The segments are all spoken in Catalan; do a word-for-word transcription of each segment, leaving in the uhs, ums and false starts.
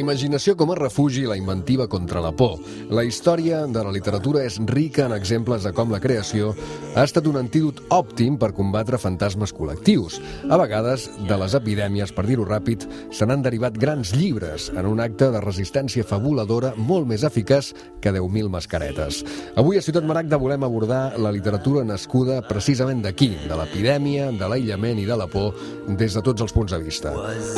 imaginació com a refugi i la inventiva contra la por. La història de la literatura és rica en exemples de com la creació ha estat un antídot òptim per combatre fantasmes col·lectius. A vegades, de les epidèmies, per dir-ho ràpid, se n'han derivat grans llibres en un acte de resistència fabuladora molt més eficaç que deu mil mascaretes. Avui a Ciutat Maragda volem abordar la literatura nascuda precisament d'aquí, de l'epidèmia, de l'aïllament i de la por, des de tots els punts de vista.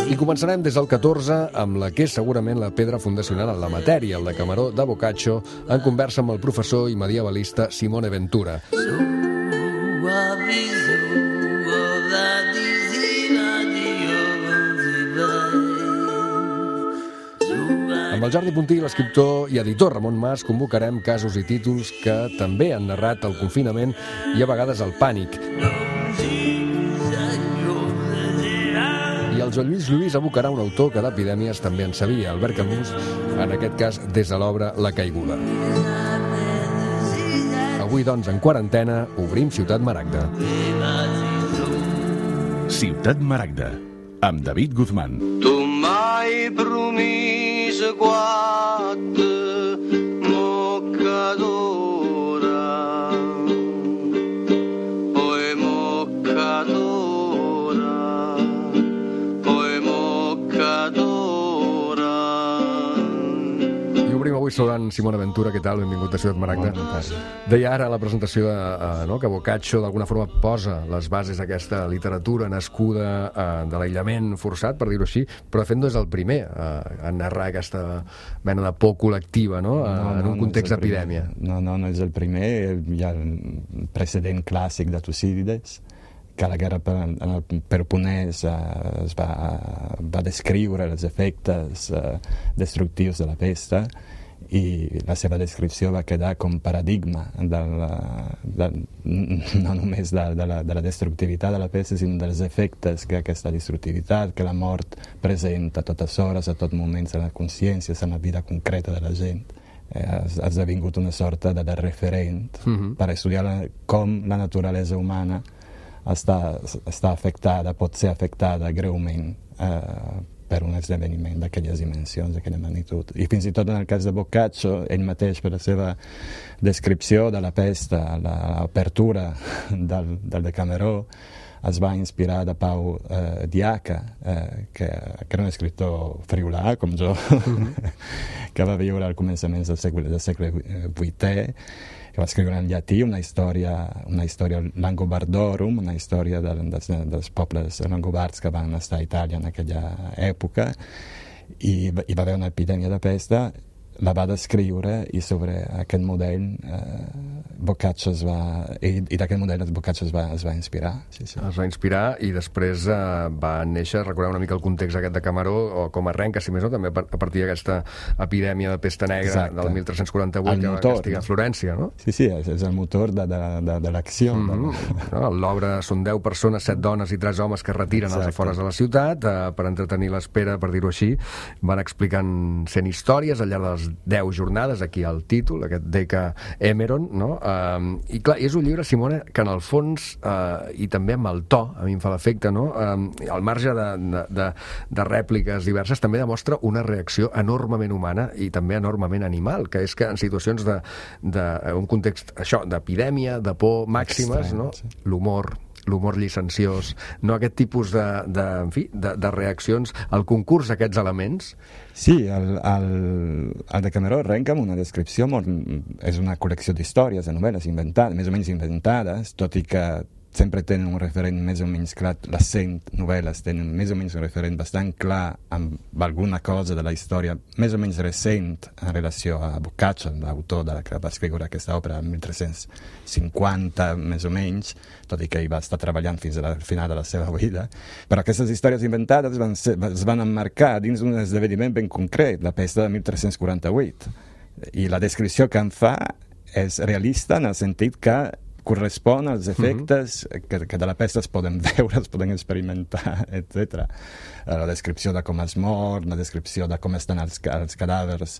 I començarem des del catorze amb la que és segurament la pedra fundacional en la matèria, el Decameró de Boccaccio, en conversa amb el professor i medievalista Simone Ventura. Amb el Jordi Puntí, l'escriptor i editor Ramon Mas, convocarem casos i títols que també han narrat el confinament i a vegades el pànic. I el Joan Lluís Lluís abocarà un autor que d'epidèmies també en sabia, Albert Camus, en aquest cas des de l'obra La caiguda. Avui, doncs, en quarantena, obrim Ciutat Maragda. Ciutat Maragda, amb David Guzmán. Tu m'hai promís quatre moccadora, poi moccadora, poi moccadora. I obrim avui saludant Simone Ventura. Què tal? Benvingut a Ciutat Maragda. Deia ara a la presentació de, uh, no, que Boccaccio d'alguna forma posa les bases d'aquesta literatura nascuda uh, de l'aïllament forçat, per dir-ho així, però de fet no és el primer uh, a narrar aquesta mena de por col·lectiva, no? Uh, no, no en un context no d'epidèmia. No, no, no és el primer. Hi ha el precedent clàssic de Tucídides, que a la guerra per, en el Peloponès uh, es va, va descriure els efectes uh, destructius de la pesta, i la seva descripció va quedar com paradigma del, del, no només de, de, la, de la destructivitat de la pesta, sinó dels efectes que aquesta destructivitat, que la mort presenta a totes hores, a tot moments, en la consciència, en la vida concreta de la gent. Eh, ha esdevingut una sorta de, de referent uh-huh. per estudiar la, com la naturalesa humana està, està afectada, pot ser afectada greument eh, per un esdeveniment d'aquelles dimensions, d'aquella magnitud. I fins i tot en el cas de Boccaccio, ell mateix, per la seva descripció de la pesta, l'apertura del, del Decameró, es va inspirar de Pau eh, Diaca, eh, que, que era un escriptor friulà, com jo, mm-hmm. que va viure al començament del segle, del segle vuitè, que va escriure en llatí una història, una història langobardorum, una història de, dels, dels pobles langobards que van estar a Itàlia en aquella època, i hi va haver una epidèmia de pesta, la va descriure, i sobre aquest model eh, Boccaccio es va, i, i d'aquest model Boccaccio es va, es va inspirar. Sí, sí. Es va inspirar i després eh, va néixer, recordem una mica el context aquest de Decameró, o com arrenca, si més no, també a partir d'aquesta epidèmia de pesta negra. Exacte. Del mil tres-cents quaranta-vuit, el que motor, va castigar no? Florència, no? Sí, sí, és, és el motor de, de, de, de l'acció. Mm-hmm. No, l'obra són deu persones, set dones i tres homes que es retiren Exacte. Als afores de la ciutat eh, per entretenir l'espera, per dir-ho així. Van explicant cent històries al llarg de les deu jornades, aquí el títol, aquest Decameron, no? Uh, I clar, és un llibre, Simone, que en el fons, uh, i també amb el to, a mi em fa l'efecte, no? Uh, al marge de, de, de, de rèpliques diverses, també demostra una reacció enormement humana i també enormement animal, que és que en situacions de, de un context, això, d'epidèmia, de por màximes, Extrem, no? Sí. L'humor, l'humor llicenciós, no aquest tipus de, de, en fi, de, de reaccions, el concurs d'aquests elements. Sí, el, el, el Decameró arrenca amb una descripció molt, és una col·lecció d'històries, de novel·les inventades, més o menys inventades, tot i que sempre tenen un referent més o menys clar, les cent novel·les tenen més o menys un referent bastant clar amb alguna cosa de la història més o menys recent en relació a Boccaccio, l'autor de la que va escriure aquesta òpera en mil tres-cents cinquanta més o menys, tot i que hi va estar treballant fins al final de la seva vida. Però aquestes històries inventades van ser, es van emmarcar dins d'un esdeveniment ben concret, la pesta de mil tres-cents quaranta-vuit. I la descripció que en fa és realista en el sentit que correspon als efectes uh-huh. que, que de la pesta es poden veure, es poden experimentar, etcètera. La descripció de com es mor, la descripció de com estan els, els cadàvers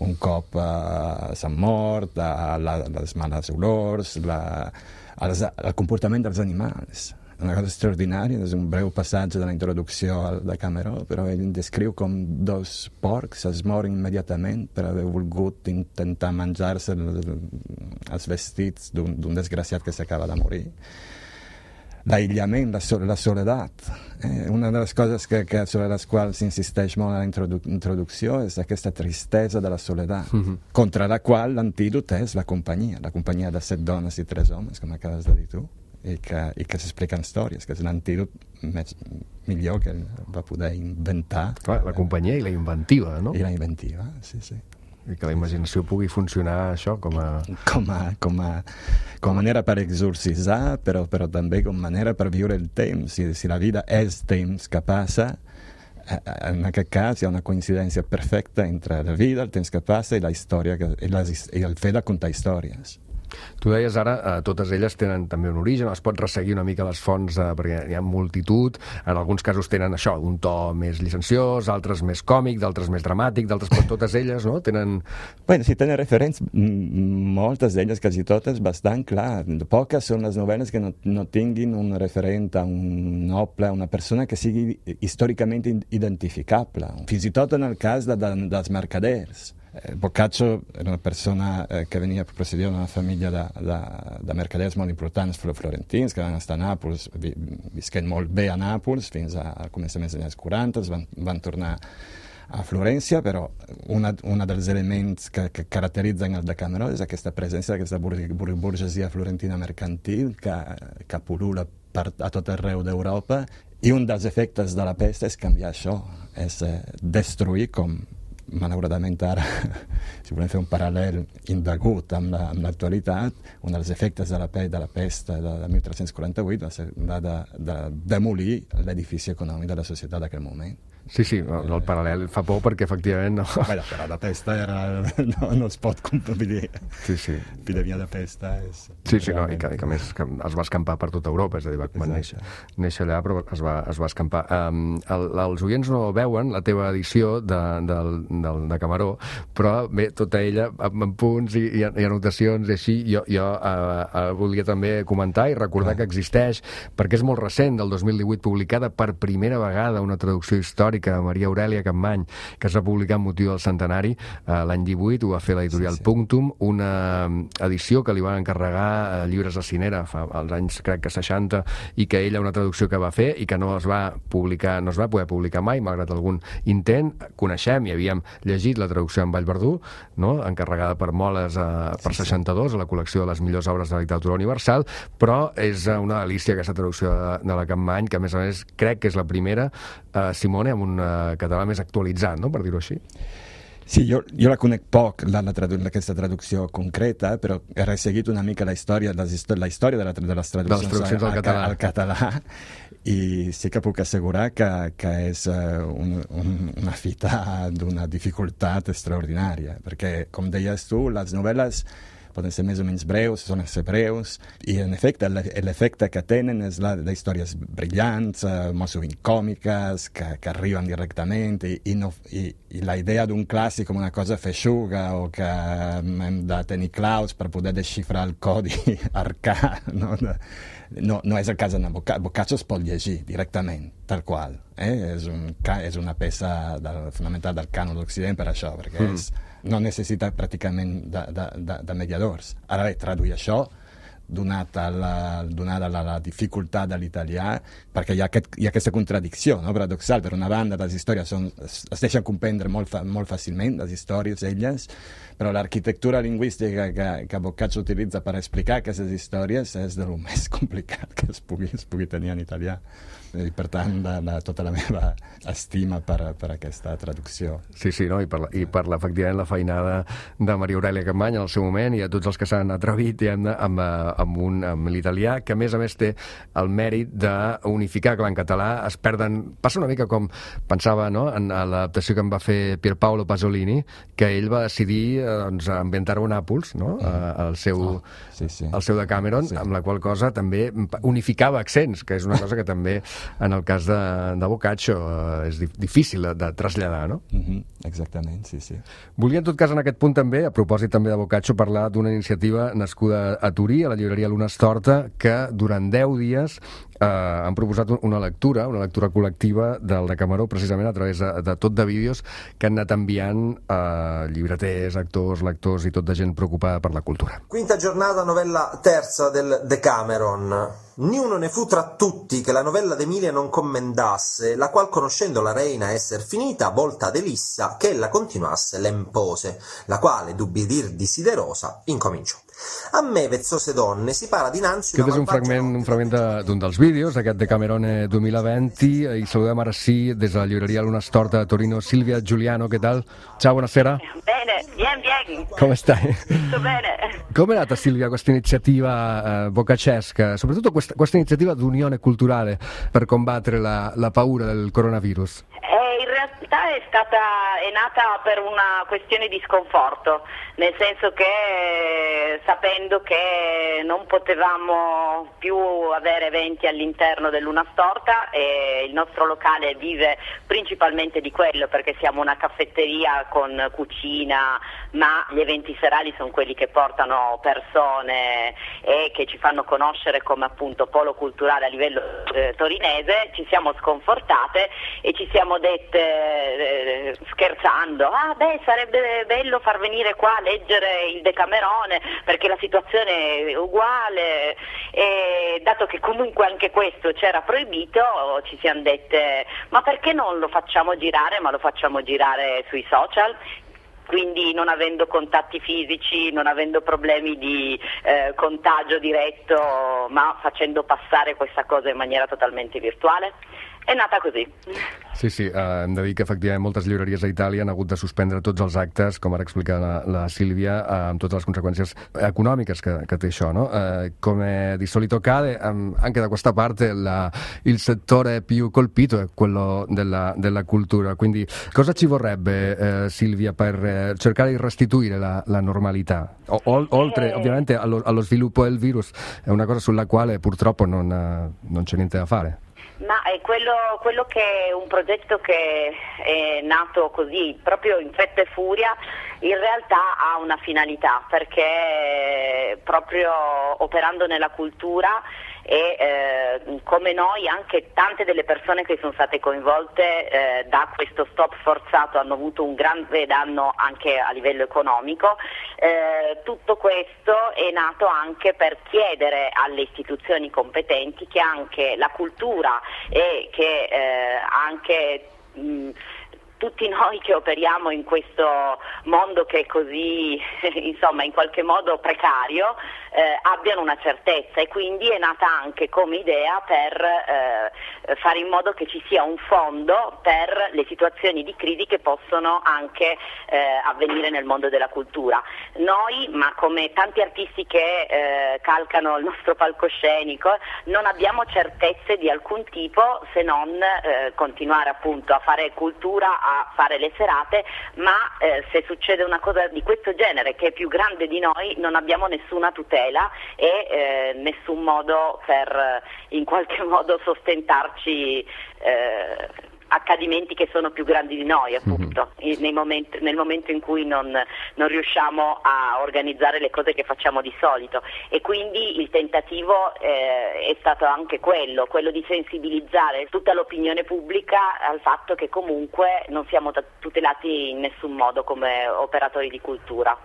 un cop uh, s'han mort, uh, la, les males olors, la, els, el comportament dels animals. una cosa extraordinària, és un breu passatge de la introducció al Decameró, però ell descriu com dos porcs es moren immediatament per haver volgut intentar menjar-se els vestits d'un desgraciat que s'acaba de morir. L'aïllament, la, so la soledat. Eh? Una de les coses que, que sobre les quals s'insisteix molt a la introdu introducció és aquesta tristesa de la soledat, mm-hmm. contra la qual l'antídot és la companyia, la companyia de set dones i tres homes, com acabes de dir tu, i que, i que s'expliquen històries, que és l'antídot més millor que va poder inventar. Clar, la companyia i la inventiva, no? I la inventiva, sí, sí. I que la imaginació pugui funcionar això com a... Com a, com a, com a manera per exorcitzar, però, però també com a manera per viure el temps. Si, si la vida és temps que passa, en aquest cas hi ha una coincidència perfecta entre la vida, el temps que passa i la història, que, i, les, i el fet de contar històries. Tu deies ara, eh, totes elles tenen també un origen, es pot resseguir una mica les fonts, eh, perquè hi ha multitud, en alguns casos tenen això, un to més llicenciós, altres més còmic, d'altres més dramàtic, d'altres, però totes elles, no?, tenen... Bueno, si tenen referents, moltes d'elles, quasi totes, bastant clar. Poques són les novel·les que no, no tinguin un referent a un noble, una persona que sigui històricament identificable. Fins i tot en el cas de, de, dels mercaders. Boccaccio era una persona eh, que venia procedia d'una família de, de, de mercaders molt importants florentins, que van estar a Nàpols, vi, visquent molt bé a Nàpols fins a començaments dels anys quaranta, van, van tornar a Florència, però una, una dels elements que, que caracteritzen el Decameró és aquesta presència d'aquesta bur burgesia florentina mercantil que, que pol·lula per, a tot arreu d'Europa, i un dels efectes de la pesta és canviar això, és eh, destruir, com malauradament ara, si volem fer un paral·lel indegut amb l'actualitat, la, un dels efectes de la, pe de la pesta de, de mil tres-cents quaranta-vuit va ser la de, de demolir l'edifici econòmic de la societat d'aquell moment. Sí, sí, el, el paral·lel fa por perquè efectivament no... Bueno, però la pesta era... no, no es pot competir. Sí, sí. Epidèmia de pesta és... Sí, sí, no, i que, i que a més que es va escampar per tota Europa, és a dir, va, va néixer, néixer allà, però es va, es va escampar. Um, el, els oients no veuen la teva edició de, del, del Decameró, però bé, tota ella amb, amb punts i, i, i anotacions i així, jo, jo uh, uh, volia també comentar i recordar ah. que existeix, perquè és molt recent, del dos mil divuit, publicada per primera vegada una traducció històrica de Maria Aurèlia Capmany, que es va publicar amb motiu del centenari eh, l'any divuit, ho va fer l'editorial sí, sí. Punctum, una edició que li van encarregar a Llibres de Cinera fa als anys, crec que seixanta, i que ella, una traducció que va fer i que no es va publicar, no es va poder publicar mai, malgrat algun intent. Coneixem i havíem llegit la traducció en Vallverdú, no?, encarregada per Moles eh, per sí, seixanta-dos, a la col·lecció de les millors obres de la literatura universal, però és una delícia aquesta traducció de, de la Capmany, que a més a més crec que és la primera, eh, Simone, amb un uh, català més actualitzat, no?, per dir-ho així. Sí, jo, jo la conec poc, la, la tradu aquesta traducció concreta, però he resseguit una mica la història, la història de, la, de les traduccions, de les traduccions al, al, català. al català, i sí que puc assegurar que, que és uh, un, un, una fita d'una dificultat extraordinària, perquè, com deies tu, les novel·les poden ser més o menys breus, solen ser breus, i en efecte l'efecte que tenen és la de històries brillants, eh, molt sovint còmiques, que, que arriben directament, i, i, no, i, i la idea d'un clàssic com una cosa feixuga o que hem de tenir claus per poder desxifrar el codi arcà, no? No, no és el cas de Boccaccio. Boccaccio es pot llegir directament, tal qual. Eh? És, un, és una peça del, fonamental del cànon d'Occident per això, perquè mm. és, no necessita pràcticament de, de, de, de mediadors. Ara bé, traduir això, donat a la, donada la, la dificultat de l'italià, perquè hi ha, aquest, hi ha aquesta contradicció, no?, paradoxal. Per una banda, les històries són, es, es deixen comprendre molt, fa, molt fàcilment, les històries, elles, però l'arquitectura lingüística que, que Boccaccio utilitza per explicar aquestes històries és de lo més complicat que es pugui, es pugui tenir en italià. I per tant, de, de, tota la meva estima per, per aquesta traducció. Sí, sí, no? I per, la, i per la, efectivament la feinada de Maria Aurèlia Capmany en el seu moment, i a tots els que s'han atrevit amb, amb, amb, un, amb l'italià, que a més a més té el mèrit d'unificar, clar, en català es perden, passa una mica com pensava, no?, en l'adaptació que em va fer Pierpaolo Pasolini, que ell va decidir doncs, ambientar-ho a Nàpols, no?, el seu, oh, sí, sí. el seu Decameron, sí. amb la qual cosa també unificava accents, que és una cosa que també en el cas de, de Boccaccio eh, és difícil de, de traslladar, no? Mm-hmm, exactament, sí, sí. Volia en tot cas en aquest punt també, a propòsit també de Boccaccio, parlar d'una iniciativa nascuda a Turí, a la llibreria Luna Storta, que durant deu dies eh, han proposat una lectura, una lectura col·lectiva del Decameró, precisament a través de, de tot de vídeos que han anat enviant eh, llibreters, actors, lectors i tot de gent preocupada per la cultura. Quinta giornata, novella terza del Decameron. Niuno ne fu tra tutti che la novella d'Emilia non commendasse, la qual, conoscendo la reina esser finita, volta ad Elissa che ella continuasse l'impose, la quale, d'ubbidir desiderosa, incominciò. A me, vezzose donne, si para dinanzi una Aquest és un fragment, un fragment de- d'un dels vídeos, aquest de Camerone dos mil venti, i saludem ara sí, des de la llibreria Luna Storta de Torino, Silvia Giuliano, què tal? Ciao, buonasera. Bene, bien, bien. Come stai? Tutto bene. Come è nata, Silvia, questa iniziativa eh, bocacesca, soprattutto questa, questa iniziativa d'unione culturale per combattere la, la paura del coronavirus? Eh, in realtà è stata è nata per una questione di sconforto, nel senso che eh, sapendo che non potevamo più avere eventi all'interno del Luna Storta e il nostro locale vive principalmente di quello, perché siamo una caffetteria con cucina, ma gli eventi serali sono quelli che portano persone e che ci fanno conoscere come appunto polo culturale a livello eh, torinese. Ci siamo sconfortate e ci siamo dette eh, scherzando: ah beh, sarebbe bello far venire qua a leggere il Decamerone perché la situazione è uguale, e dato che comunque anche questo c'era proibito, ci siamo dette: ma perché non lo facciamo girare, ma lo facciamo girare sui social? Quindi non avendo contatti fisici, non avendo problemi di eh, contagio diretto, ma facendo passare questa cosa in maniera totalmente virtuale. È nata così. Sí, sí, eh, hem de dir que efectivament moltes llibreries a Itàlia han hagut de suspendre tots els actes, com ara explica la, la Silvia, eh, amb totes les conseguenze econòmiche che, che té això, no? Eh, come di solito accade, um, anche da questa parte la, il settore più colpito è quello della, della cultura, quindi cosa ci vorrebbe, eh, Silvia, per eh, cercare di restituire la, la normalità? O, o, oltre Eh. ovviamente allo, allo sviluppo del virus, è una cosa sulla quale purtroppo non, eh, non c'è niente da fare. Ma è quello, quello che è un progetto che è nato così, proprio in fretta e furia, in realtà ha una finalità, perché proprio operando nella cultura e eh, come noi anche tante delle persone che sono state coinvolte eh, da questo stop forzato hanno avuto un grande danno anche a livello economico. Eh, tutto questo è nato anche per chiedere alle istituzioni competenti che anche la cultura e che eh, anche mh, tutti noi che operiamo in questo mondo che è così, insomma, in qualche modo precario, eh, abbiano una certezza, e quindi è nata anche come idea per eh, fare in modo che ci sia un fondo per le situazioni di crisi che possono anche eh, avvenire nel mondo della cultura. Noi, ma come tanti artisti che eh, calcano il nostro palcoscenico, non abbiamo certezze di alcun tipo se non eh, continuare appunto a fare cultura, a fare le serate, ma eh, se succede una cosa di questo genere che è più grande di noi, non abbiamo nessuna tutela e eh, nessun modo per eh, in qualche modo sostentarci eh, accadimenti che sono più grandi di noi, appunto, mm-hmm. nei momenti, nel momento in cui non, non riusciamo a organizzare le cose che facciamo di solito. E quindi il tentativo eh, è stato anche quello, quello di sensibilizzare tutta l'opinione pubblica al fatto che comunque non siamo tutelati in nessun modo come operatori di cultura.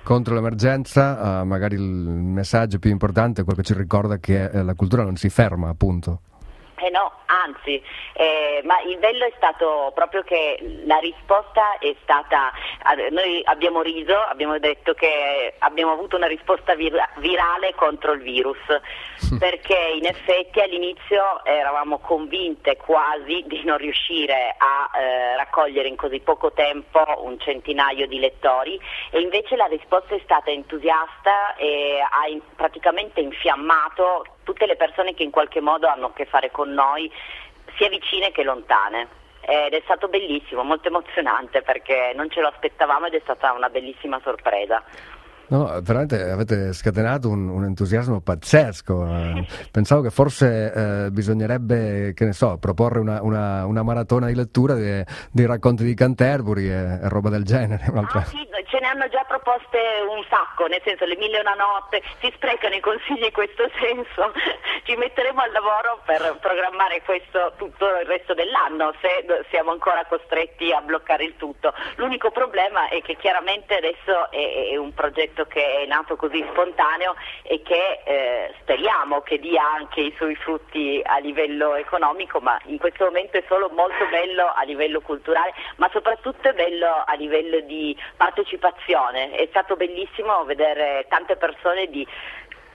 Contro l'emergenza, uh, magari il messaggio più importante è quello che ci ricorda che eh, la cultura non si ferma, appunto. Eh no, anzi, eh, ma il bello è stato proprio che la risposta è stata, noi abbiamo riso, abbiamo detto che abbiamo avuto una risposta vir- virale contro il virus, perché in effetti all'inizio eravamo convinte quasi di non riuscire a eh, raccogliere in così poco tempo un centinaio di lettori, e invece la risposta è stata entusiasta e ha in- praticamente infiammato tutte le persone che in qualche modo hanno a che fare con noi, sia vicine che lontane. Ed è stato bellissimo, molto emozionante, perché non ce lo aspettavamo ed è stata una bellissima sorpresa. No, veramente avete scatenato un, un entusiasmo pazzesco. Eh, pensavo che forse eh, bisognerebbe, che ne so, proporre una, una, una maratona di lettura dei, dei racconti di Canterbury e, e roba del genere. Ah, sì, ce ne hanno già proposte un sacco, nel senso le mille e una notte, si sprecano i consigli in questo senso. Ci metteremo al lavoro per programmare questo tutto il resto dell'anno, se siamo ancora costretti a bloccare il tutto. L'unico problema è che chiaramente adesso è, è un progetto che è nato così spontaneo e che eh, speriamo che dia anche i suoi frutti a livello economico, ma in questo momento è solo molto bello a livello culturale, ma soprattutto è bello a livello di partecipazione. È stato bellissimo vedere tante persone di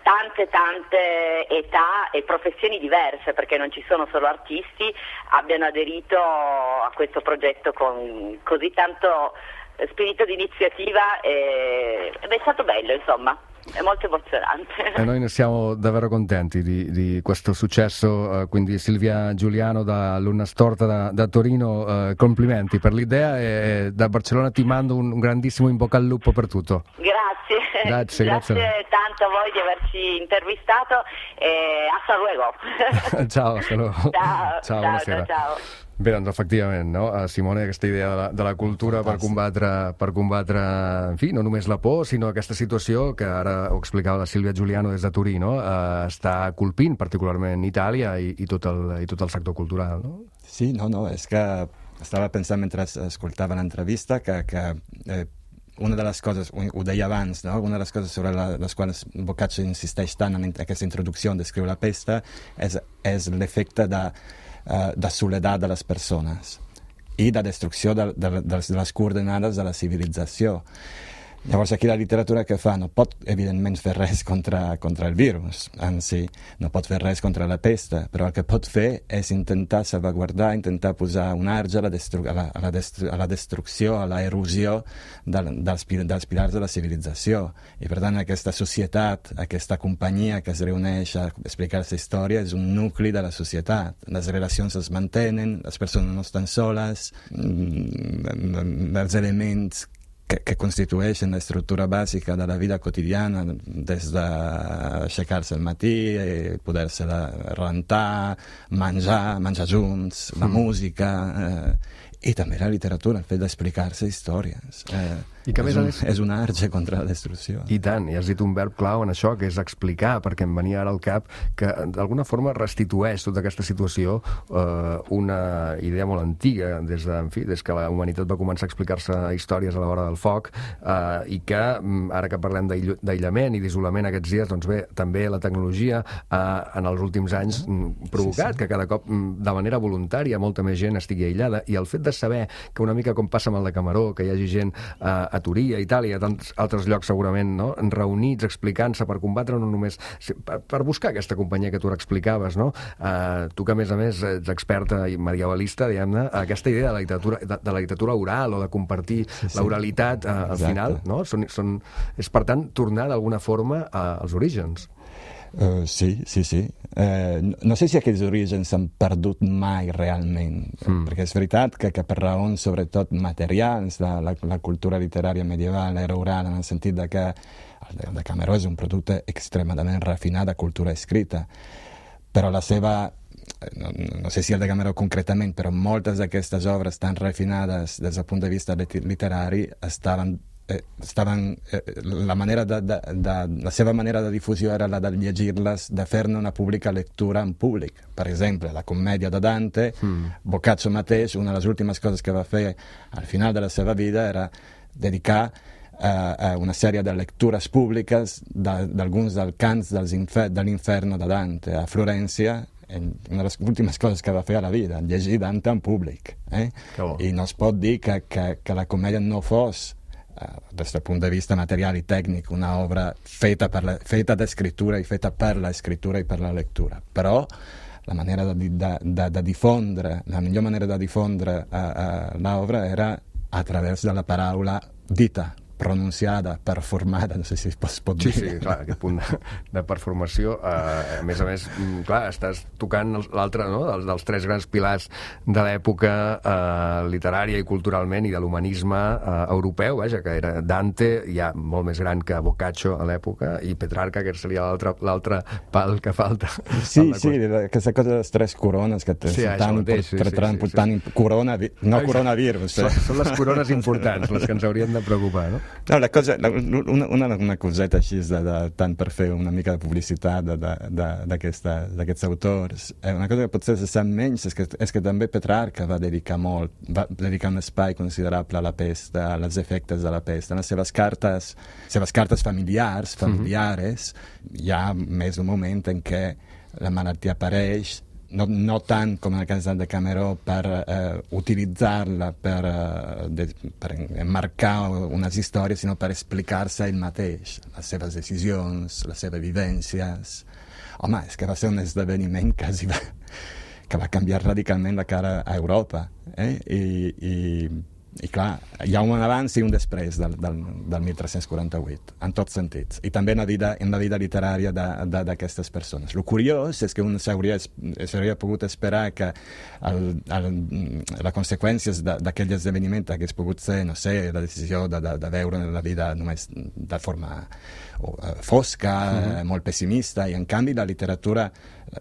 tante tante età e professioni diverse, perché non ci sono solo artisti, abbiano aderito a questo progetto con così tanto spirito di iniziativa e, ed è stato bello, insomma. È molto emozionante. E noi ne siamo davvero contenti di, di questo successo, uh, quindi Silvia Giuliano da Luna Storta da, da Torino, uh, complimenti per l'idea e da Barcellona ti mando un, un grandissimo in bocca al lupo per tutto. Grazie, grazie, grazie, grazie tanto a voi di averci intervistato e hasta luego. Ciao, hasta luego. Ciao, ciao, ciao, buonasera. ciao, ciao. Bé, doncs efectivament, no? Simone, aquesta idea de la, de la cultura per combatre, per combatre, en fi, no només la por, sinó aquesta situació que ara ho explicava la Sílvia Giuliano des de Turí, no? Eh, està colpint particularment Itàlia i, i, tot el, i tot el sector cultural, no? Sí, no, no, és que estava pensant mentre escoltava l'entrevista que, que eh, una de les coses, ho deia abans, no? Una de les coses sobre la, les quals Boccaccio insisteix tant en aquesta introducció on descriu la pesta és, és l'efecte de Uh, de soledat de les persones i de destrucció de, de, de, de les coordenades de la civilització. Llavors aquí la literatura que fa no pot evidentment fer res contra, contra el virus en si, no pot fer res contra la pesta, però el que pot fer és intentar salvaguardar, intentar posar un arge a la, destru a la, a la, destru a la destrucció, a la erosió de, dels, dels pilars de la civilització. I per tant aquesta societat, aquesta companyia que es reuneix a explicar-se història és un nucli de la societat. Les relacions es mantenen, les persones no estan soles, els elements que, que constitueixen l'estructura bàsica de la vida quotidiana, des d'aixecar-se al matí, poder-se rentar, menjar, menjar junts, la mm. música, eh, i també la literatura, el fet d'explicar-se històries. Eh, I que és, més un, és... és un arge contra la destrucció. I tant, i has dit un verb clau en això, que és explicar, perquè em venia ara al cap que d'alguna forma restitueix tota aquesta situació eh, una idea molt antiga, des, de, en fi, des que la humanitat va començar a explicar-se històries a la vora del foc, eh, i que ara que parlem d'aïllament i d'isolament aquests dies, doncs bé, també la tecnologia eh, en els últims anys provocat sí, sí. que cada cop de manera voluntària molta més gent estigui aïllada, i el fet de saber que una mica com passa amb el de Camaró, que hi hagi gent eh, a Turí, a Itàlia, a tants altres llocs segurament, no? Reunits, explicant-se per combatre no només... Per, per buscar aquesta companyia que tu explicaves, no? Uh, tu que a més a més ets experta i medievalista, diguem-ne, aquesta idea de la literatura, de, de la literatura oral o de compartir sí, sí. l'oralitat uh, al final, no? Són, són, és per tant tornar d'alguna forma uh, als orígens. Uh, sí, sí, sí. Uh, no, no sé si aquells orígens s'han perdut mai realment, mm. perquè és veritat que, que per raons sobretot materials la, la, la cultura literària medieval era oral en el sentit de que el de, de Cameró és un producte extremadament refinat de cultura escrita, però la seva... No, no sé si el de Cameró concretament, però moltes d'aquestes obres tan refinades des del punt de vista literari estaven Eh, estaven, eh, la, manera de, de, de, la seva manera de difusió era la de llegir-les, de fer-ne una pública lectura en públic. Per exemple, la commèdia de Dante, mm. Boccaccio mateix, una de les últimes coses que va fer al final de la seva vida era dedicar eh, a una sèrie de lectures públiques d'alguns dels cants dels infer de l'Inferno de Dante a Florència. Una de les últimes coses que va fer a la vida, llegir Dante en públic. Eh? I no es pot dir que, que, que la comèdia no fos des del punt de vista material i tècnic una obra feta, per la, feta d'escriptura i feta per l'escriptura i per la lectura, però la manera de, de, de, de difondre, la millor manera de difondre uh, uh, l'obra era a través de la paraula dita, pronunciada, performada, no sé si es pot dir. Sí, sí, clar, aquest punt de, de performació, eh, a més a més, clar, estàs tocant l'altre, no?, dels, dels tres grans pilars de l'època eh, literària i culturalment i de l'humanisme eh, europeu, vaja, que era Dante, ja molt més gran que Boccaccio a l'època, i Petrarca, que seria l'altre pal que falta. Sí, sí, aquesta cosa de les tres corones que sí, tan mateix, sí, important, sí, sí, sí. corona, no coronavirus. Són, són les corones importants, les que ens haurien de preocupar, no? No, la cosa, la, una, una, una coseta així, de, de, tant per fer una mica de publicitat d'aquests autors, eh, una cosa que potser se sap menys és que, és que també Petrarca va dedicar molt, va dedicar un espai considerable a la pesta, als efectes de la pesta. En les seves cartes, seves cartes familiars, familiares, mm-hmm. hi ha més un moment en què la malaltia apareix, no, no tant com en el cas del Decameró per eh, utilitzar-la per, eh, de, per emmarcar unes històries, sinó per explicar-se ell mateix, les seves decisions, les seves vivències. Home, és que va ser un esdeveniment quasi va, que va canviar radicalment la cara a Europa, eh? I, i I clar, hi ha un abans i un després del, del, del tretze quaranta-vuit, en tots sentits, i també en la vida, en la vida literària d'aquestes persones. El curiós és que un s'hauria pogut esperar que el, el, les conseqüències d'aquell esdeveniment hagués pogut ser, no sé, la decisió de, de, de veure la vida només de forma fosca, mm-hmm. molt pessimista, i en canvi la literatura,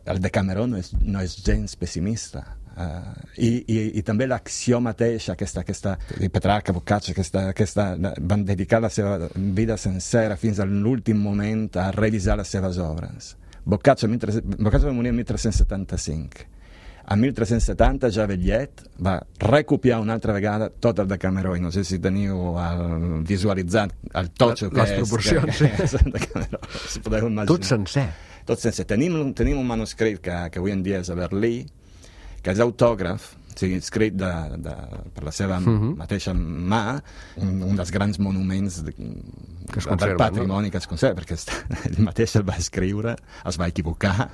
el Decameró no és, no és gens pessimista. Uh, i, i, i també l'acció mateixa, aquesta, aquesta Petrarca, Boccaccio, aquesta, aquesta, van dedicar la seva vida sencera fins a l'últim moment a revisar les seves obres. Boccaccio, Boccaccio va morir en tretze setanta-cinc. A tretze setanta, ja vellet, va recopiar una altra vegada tot el Decameró, i no sé si teniu el, visualitzat el totxo que les és, proporcions, que, que és el Decameró. Si podeu imaginar. Tot sencer. Tot sencer. Tenim, tenim un manuscrit que, que avui en dia és a Berlí, que és autògraf, o sigui, escrit de, de, per la seva uh-huh. mateixa mà, un, un dels grans monuments de, que es del patrimoni, no? Que es conserva, perquè ell mateix el va escriure, es va equivocar,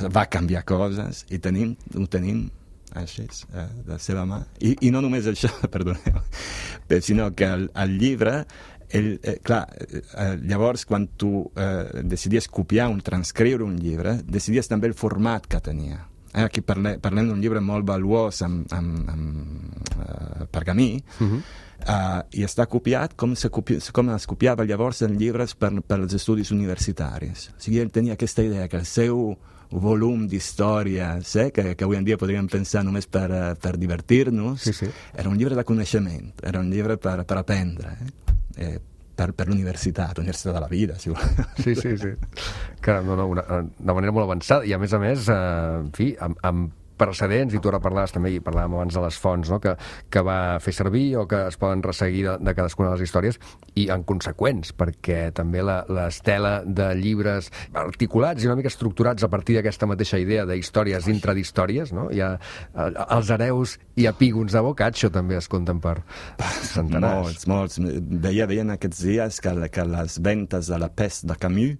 es va canviar coses, i tenim, ho tenim així, eh, de la seva mà. I, i no només això, perdoneu, sinó que el, el llibre, el, eh, clar, eh, llavors quan tu eh, decidies copiar un, transcriure un llibre, decidies també el format que tenia. Aquí parlem, parlem d'un llibre molt valuós amb, amb, amb uh, pergamí, uh-huh. uh, i està copiat com, se copi, com es copiava llavors en llibres per, per als estudis universitaris. O sigui, ell tenia aquesta idea que el seu volum d'històries, eh, que, que avui en dia podríem pensar només per, uh, per divertir-nos, sí, sí. Era un llibre de coneixement, era un llibre per, per aprendre, eh? Eh, per, per l'universitat, l'universitat de la vida, si vol. Sí, sí, sí. Que, no, no, una, de manera molt avançada, i a més a més, eh, en fi, amb, amb precedents, i tu ara parlaves també, i parlàvem abans de les fonts, no? que, que va fer servir o que es poden resseguir de, de cadascuna de les històries, i en conseqüents, perquè també la, l'estela de llibres articulats i una mica estructurats a partir d'aquesta mateixa idea d'històries dintre d'històries, no? Hi ha els hereus i epígons de Boccaccio també es compten per centenars. Molts, molts. Veia, veien aquests dies que, que les ventes de La Peste de Camus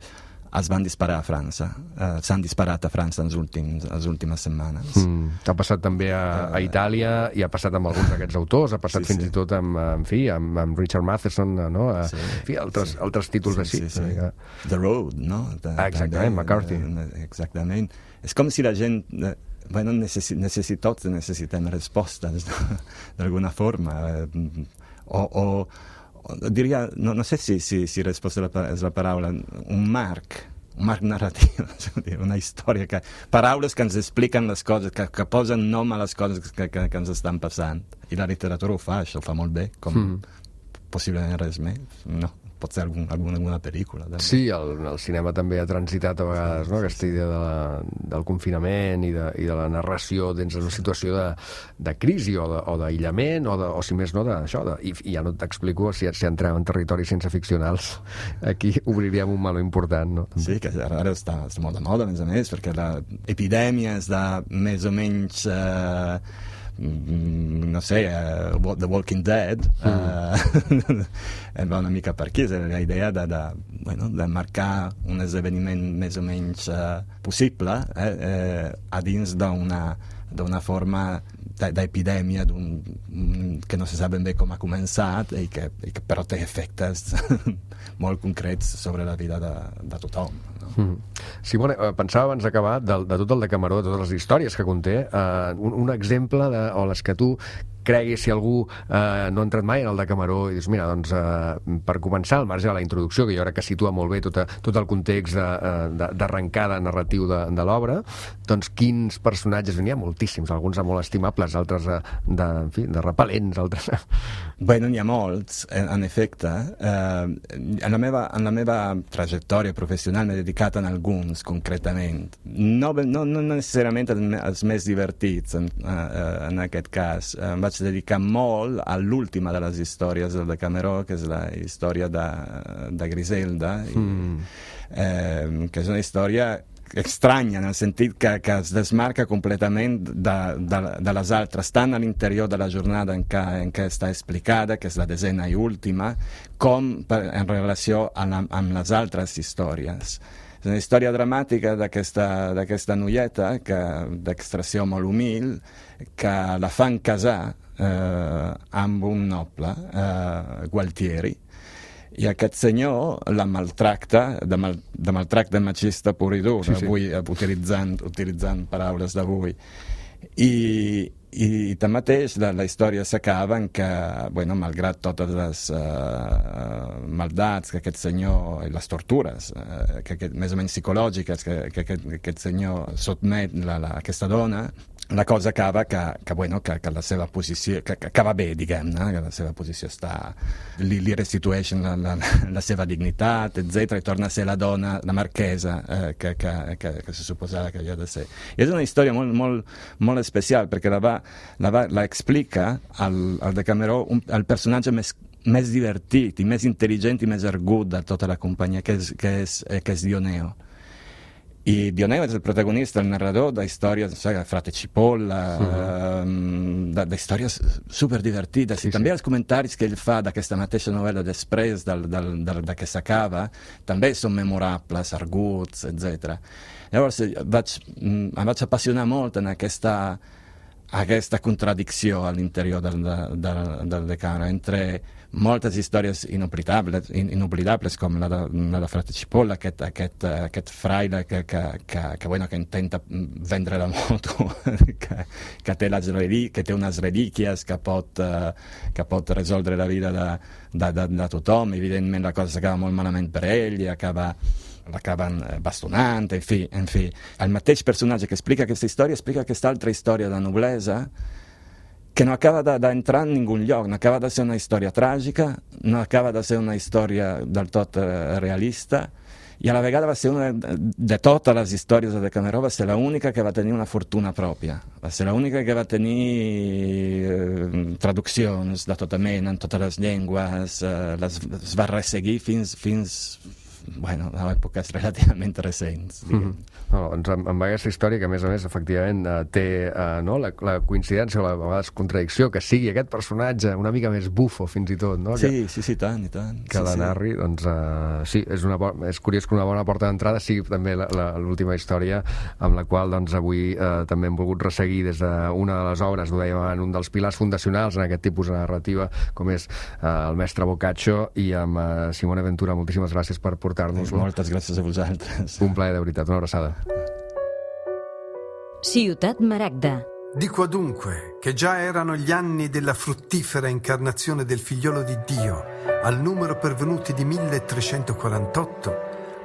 es van disparar a França, uh, s'han disparat a França en les últims, les últimes setmanes. Mm. Ha passat també a, a Itàlia, i ha passat amb alguns d'aquests autors, ha passat sí, fins sí. i tot amb, en fi, amb, amb Richard Matheson, no? A, sí. En fi, altres, sí. altres títols sí, així. Sí, sí. Que... The Road, no? De, ah, exactament, també, McCarthy. Exactament. És com si la gent... Bueno, necessi, necessi, tots necessitem respostes, no? D'alguna forma. O... o diria, no, no sé si, si, si risposta és la paraula, un marc, un marc narratiu, una història, que, paraules que ens expliquen les coses, que, que posen nom a les coses que, que, que ens estan passant. I la literatura ho fa, això ho fa molt bé, com mm. possiblement res més, no? Pot ser algun, alguna, alguna pel·lícula. També. Sí, el, el cinema també ha transitat a vegades, no? Aquesta idea de la, del confinament i de, i de la narració dins d'una situació de, de crisi o, de, o d'aïllament o, de, o si més no d'això. I, I ja no t'explico, si, si entrem en territoris sense ficcionals, aquí obriríem un meló important, no? Sí, que ara, ara està, està molt de moda, a més a més, perquè l'epidèmia és de més o menys... Eh, no sé, uh, The Walking Dead mm. uh, va una mica per aquí, és la idea de, de, bueno, de marcar un esdeveniment més o menys uh, possible eh, eh, a dins d'una d'una forma d'epidèmia que no se sap ben bé com ha començat i que, i que però té efectes molt concrets sobre la vida de, de tothom, no? Mm. Simone, pensava abans d'acabar de, de tot el Decameró, de totes les històries que conté, eh, un, un exemple de, o les que tu cregui si algú eh, no ha entrat mai en el Decameró i dius, mira, doncs eh, per començar, al marge de la introducció, que jo crec que situa molt bé tot, a, tot el context d'arrencada narratiu de, de l'obra, doncs quins personatges, n'hi ha moltíssims, alguns molt estimables, altres de, de, en fi, de repel·lents, altres... Bueno, n'hi ha molts, en, en efecte. Eh, en, la meva, en la meva trajectòria professional m'he dedicat a alguns, concretament. No, no, no necessàriament als més divertits, en, en aquest cas. Em vaig dedicar molt a l'última de les històries del Decameró, que és la història de, de Griselda, mm. eh, que és una història estranya, en el sentit que, que es desmarca completament de, de, de les altres, tant a l'interior de la jornada en què, en què està explicada, que és la desena i última, com per, en relació amb, la, amb les altres històries. És una història dramàtica d'aquesta noieta, d'extracció molt humil, que la fan casar eh, amb un noble, eh, Gualtieri, i aquest senyor la maltracta, de, mal, de maltracta machista pur i dur, sí, sí. Avui, utilitzant, utilitzant paraules d'avui. I, i, i tanmateix la, la història s'acaba en que, bueno, malgrat totes les uh, maldats que aquest senyor, i les tortures, uh, que, que, més o menys psicològiques, que, que, que aquest senyor sotmet la, la, aquesta dona, la cosa acaba que, que, bueno, que, que la seva posició, que, que acaba bé, diguem-ne, que la seva posició està, li, li restitueixen la, la, la seva dignitat, etcètera, i torna a ser la dona, la marquesa, eh, que, que, que, que se suposava que havia de ser. I és una història molt, molt, molt especial, perquè la, va, la, va, la explica al, al Decameró un, el personatge més, més divertit i més intel·ligent i més argut de tota la companyia, que és, que és, que és Dioneo. I Dioneo és el protagonista, el narrador de històries, no sé, Frate Cipolla, uh-huh. eh, d'històries superdivertides, sí, i també sí. Els comentaris que ell fa d'aquesta mateixa novel·la després del, del, del, de que s'acaba també són memorables, arguts, etcètera. Llavors vaig, em vaig apassionar molt en aquesta, aquesta contradicció a l'interior del, del, del Decameró, entre moltes històries inoblidables, inoblidables com la de, la de Frate Cipolla, aquest, aquest, aquest fraile que, que, que, que, bueno, que intenta vendre la moto, que, que, té les relí- que té unes relíquies que pot, uh, que pot resoldre la vida de, de, de, de tothom. Evidentment la cosa s'acaba molt malament per ell i acaba l'acaben bastonant, en fi, en fi. El mateix personatge que explica aquesta història explica aquesta altra història de noblesa que no acaba d'entrar en ningú lloc, no acaba de ser una història tràgica, no acaba de ser una història del tot eh, realista, i a la vegada va ser una de totes les històries de Decameró, va ser l'única que va tenir una fortuna pròpia, va ser l'única que va tenir eh, traduccions de tota mena, en totes les llengües, eh, les, les va resseguir fins, fins bueno, a èpoques relativament recents. Mm-hmm. No, doncs amb, amb aquesta història que a més a més efectivament eh, té eh, no, la, la coincidència o la, a vegades contradicció que sigui aquest personatge una mica més bufo fins i tot, no? Sí, que, sí, sí, tant i tant. Que sí, la narri, sí. Doncs uh, sí, és, una, és curiós que una bona porta d'entrada sigui també l'última història amb la qual doncs avui eh, també hem volgut resseguir des d'una de les obres, ho dèiem en un dels pilars fundacionals en aquest tipus de narrativa com és eh, el mestre Boccaccio, i amb eh, Simone Ventura, moltíssimes gràcies per portar-nos-lo. Moltes gràcies a vosaltres. Un plaer, de veritat, una abraçada. Ciutat Maragda. Dico adunque che già erano gli anni della fruttifera incarnazione del figliolo di Dio, al numero pervenuti di milletrecentoquarantotto,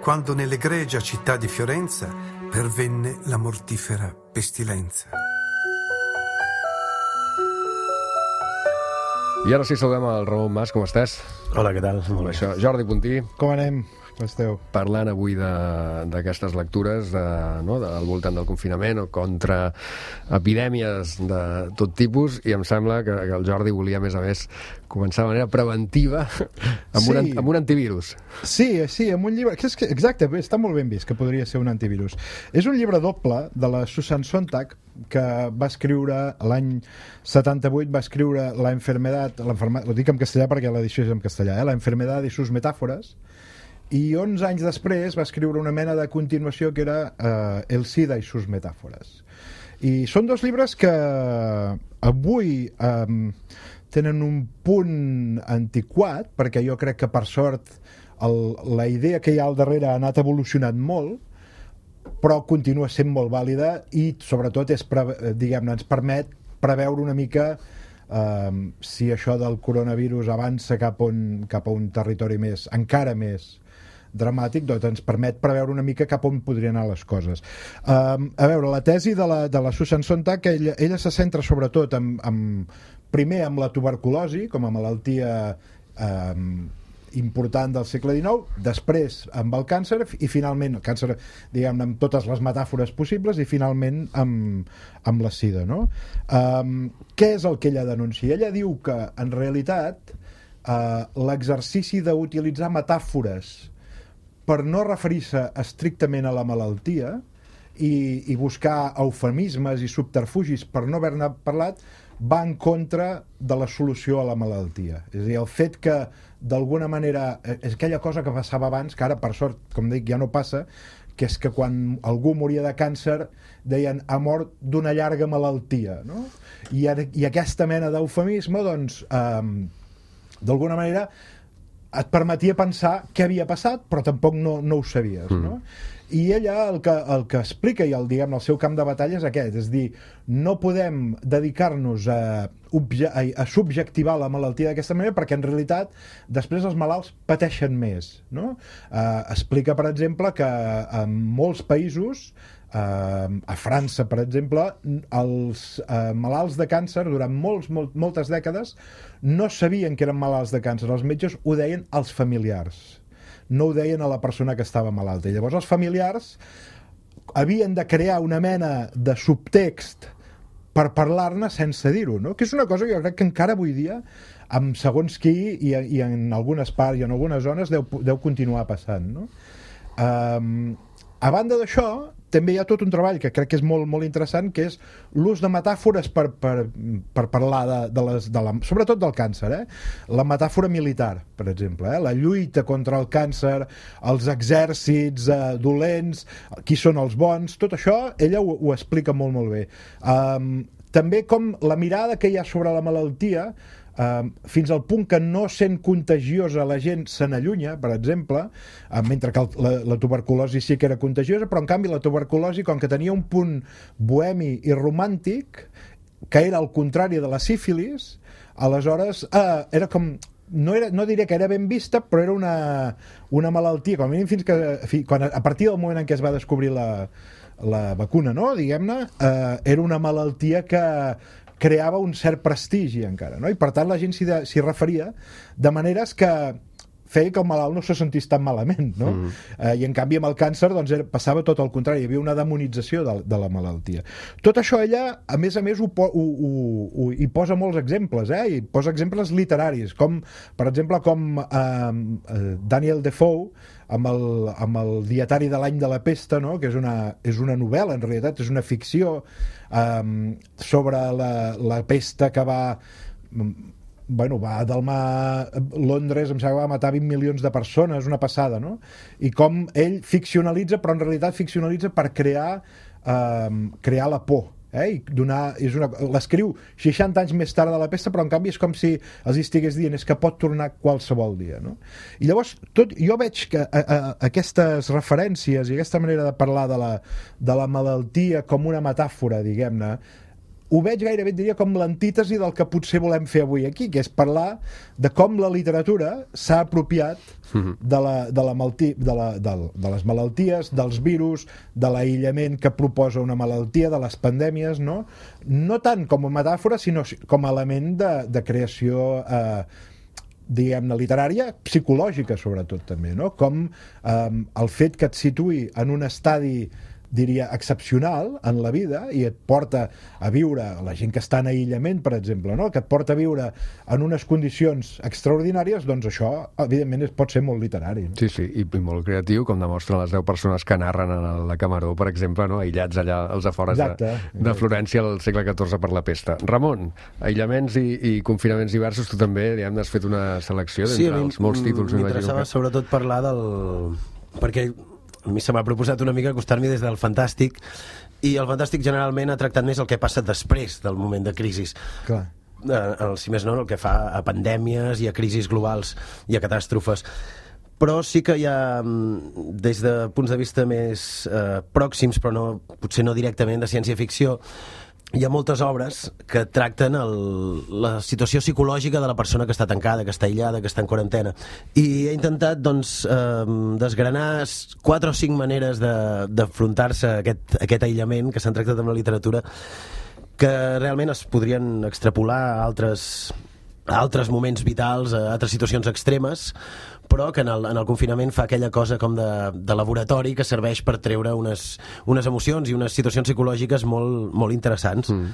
quando nell'egregia città di Fiorenza pervenne la mortifera pestilenza. I ara sí, saludem el Ramon Mas, com estàs? Hola, què tal? Molt bé, això. Jordi Puntí. Com anem? Com esteu? Parlant avui d'aquestes lectures de, no, de, al voltant del confinament o contra epidèmies de tot tipus, i em sembla que, que el Jordi volia, a més a més, començar de manera preventiva amb, sí. un, amb un antivirus. Sí, sí, amb un llibre... Que és que, exacte, està molt ben vist que podria ser un antivirus. És un llibre doble de la Susan Sontag, que va escriure l'any setanta-vuit, va escriure La enfermedad, ho dic en castellà perquè l'edició és en castellà, eh? La enfermedad y sus metáforas, i onze anys després va escriure una mena de continuació que era eh, El SIDA i sus metàfores. I són dos llibres que avui eh, tenen un punt antiquat, perquè jo crec que per sort el, la idea que hi ha al darrere ha anat evolucionant molt, però continua sent molt vàlida i sobretot és, diguem-ne, ens permet preveure una mica um, si això del coronavirus avança cap, on, cap a un territori més, encara més dramàtic, doncs ens permet preveure una mica cap on podrien anar les coses. Um, a veure, la tesi de la, de la Susan Sontag, ella, ella se centra sobretot en, en, primer amb la tuberculosi com a malaltia um, important del segle dinou, després amb el càncer i finalment, el càncer diguem-ne amb totes les metàfores possibles i finalment amb, amb la sida, no? Um, què és el que ella denuncia? Ella diu que en realitat uh, l'exercici d'utilitzar metàfores per no referir-se estrictament a la malaltia i, i buscar eufemismes i subterfugis per no haver-ne parlat va en contra de la solució a la malaltia. És a dir, el fet que d'alguna manera és aquella cosa que passava abans, que ara per sort, com dic, ja no passa, que és que quan algú moria de càncer deien ha mort d'una llarga malaltia, no? I, i aquesta mena d'eufemisme doncs eh, d'alguna manera et permetia pensar què havia passat, però tampoc no, no ho sabies, no? Mm. I ella el que, el que explica i el, diguem, el seu camp de batalla és aquest, és dir, no podem dedicar-nos a, a, a subjectivar la malaltia d'aquesta manera perquè en realitat després els malalts pateixen més, no? Eh, explica, per exemple, que en molts països Uh, a França, per exemple, els uh, malalts de càncer durant molts, molt, moltes dècades no sabien que eren malalts de càncer. Els metges ho deien als familiars, no ho deien a la persona que estava malalta. I llavors els familiars havien de crear una mena de subtext per parlar-ne sense dir-ho, no? Que és una cosa que jo crec que encara avui dia amb segons qui i, i en algunes parts i en algunes zones deu, deu continuar passant, no? Um, a banda d'això també hi ha tot un treball que crec que és molt, molt interessant, que és l'ús de metàfores per, per, per parlar de, de les, de la, sobretot del càncer, eh? La metàfora militar, per exemple, eh? La lluita contra el càncer, els exèrcits eh, dolents, qui són els bons, tot això ella ho, ho explica molt, molt bé. Um, també com la mirada que hi ha sobre la malaltia, Uh, fins al punt que no sent contagiosa la gent se n'allunya, per exemple, uh, mentre que el, la, la tuberculosi sí que era contagiosa, però en canvi la tuberculosi, com que tenia un punt bohemi i romàntic, que era al contrari de la sífilis, aleshores uh, era com no, era, no diré que era ben vista, però era una, una malaltia, com a mínim fins que fi, quan, a partir del moment en què es va descobrir la, la vacuna, no? Diguem-ne, uh, era una malaltia que creava un cert prestigi encara, no? I per tant la gent s'hi, de, s'hi referia de maneres que feia que el malalt no se sentís tan malament, no? Mm. Eh, I en canvi amb el càncer doncs, era, passava tot el contrari, hi havia una demonització de, de la malaltia. Tot això ella, a més a més, ho, ho, ho, ho, hi posa molts exemples, eh? I posa exemples literaris, com, per exemple, com eh, Daniel Defoe, amb el, amb el dietari de l'any de la pesta, no? Que és una, és una novel·la, en realitat, és una ficció um, sobre la, la pesta que va... bueno, va delmar Londres, em sembla que va matar vint milions de persones, una passada, no? I com ell ficcionalitza, però en realitat ficcionalitza per crear, um, crear la por. Eh? I donar, és una, l'escriu seixanta anys més tard de la pesta, però en canvi és com si els estigués dient és que pot tornar qualsevol dia, no? I llavors tot, jo veig que a, a, aquestes referències i aquesta manera de parlar de la, de la malaltia com una metàfora, diguem-ne, ho veig gairebé, diria, com l'antítesi del que potser volem fer avui aquí, que és parlar de com la literatura s'ha apropiat de, la, de, la malti, de, la, de, de les malalties, dels virus, de l'aïllament que proposa una malaltia, de les pandèmies, no? No tant com a metàfora, sinó com a element de, de creació eh, diguem-ne, literària, psicològica sobretot també, no? Com eh, el fet que et situï en un estadi diria, excepcional en la vida i et porta a viure, la gent que està en aïllament, per exemple, no? Que et porta a viure en unes condicions extraordinàries, doncs això, evidentment, es pot ser molt literari. No? Sí, sí, i, i molt creatiu, com demostren les deu persones que narren a la Camaró, per exemple, no? Aïllats allà als afores exacte, de, de Florència al segle catorze per la pesta. Ramon, aïllaments i, i confinaments diversos, tu també, diguem, has fet una selecció d'entre sí, els molts títols. M'interessava que... sobretot parlar del... perquè a mi se m'ha proposat una mica acostar-m'hi des del fantàstic, i el fantàstic generalment ha tractat més el que passa després del moment de crisi. Clar. Eh, si més no, el que fa a pandèmies i a crisis globals i a catàstrofes. Però sí que hi ha, des de punts de vista més eh, pròxims, però no, potser no directament de ciència-ficció, hi ha moltes obres que tracten el, la situació psicològica de la persona que està tancada, que està aïllada, que està en quarantena. I he intentat doncs, eh, desgranar quatre o cinc maneres d'afrontar-se a aquest, a aquest aïllament que s'han tractat amb la literatura, que realment es podrien extrapolar a altres, a altres moments vitals, a altres situacions extremes, però que en el, en el confinament fa aquella cosa com de, de laboratori que serveix per treure unes, unes emocions i unes situacions psicològiques molt, molt interessants mm.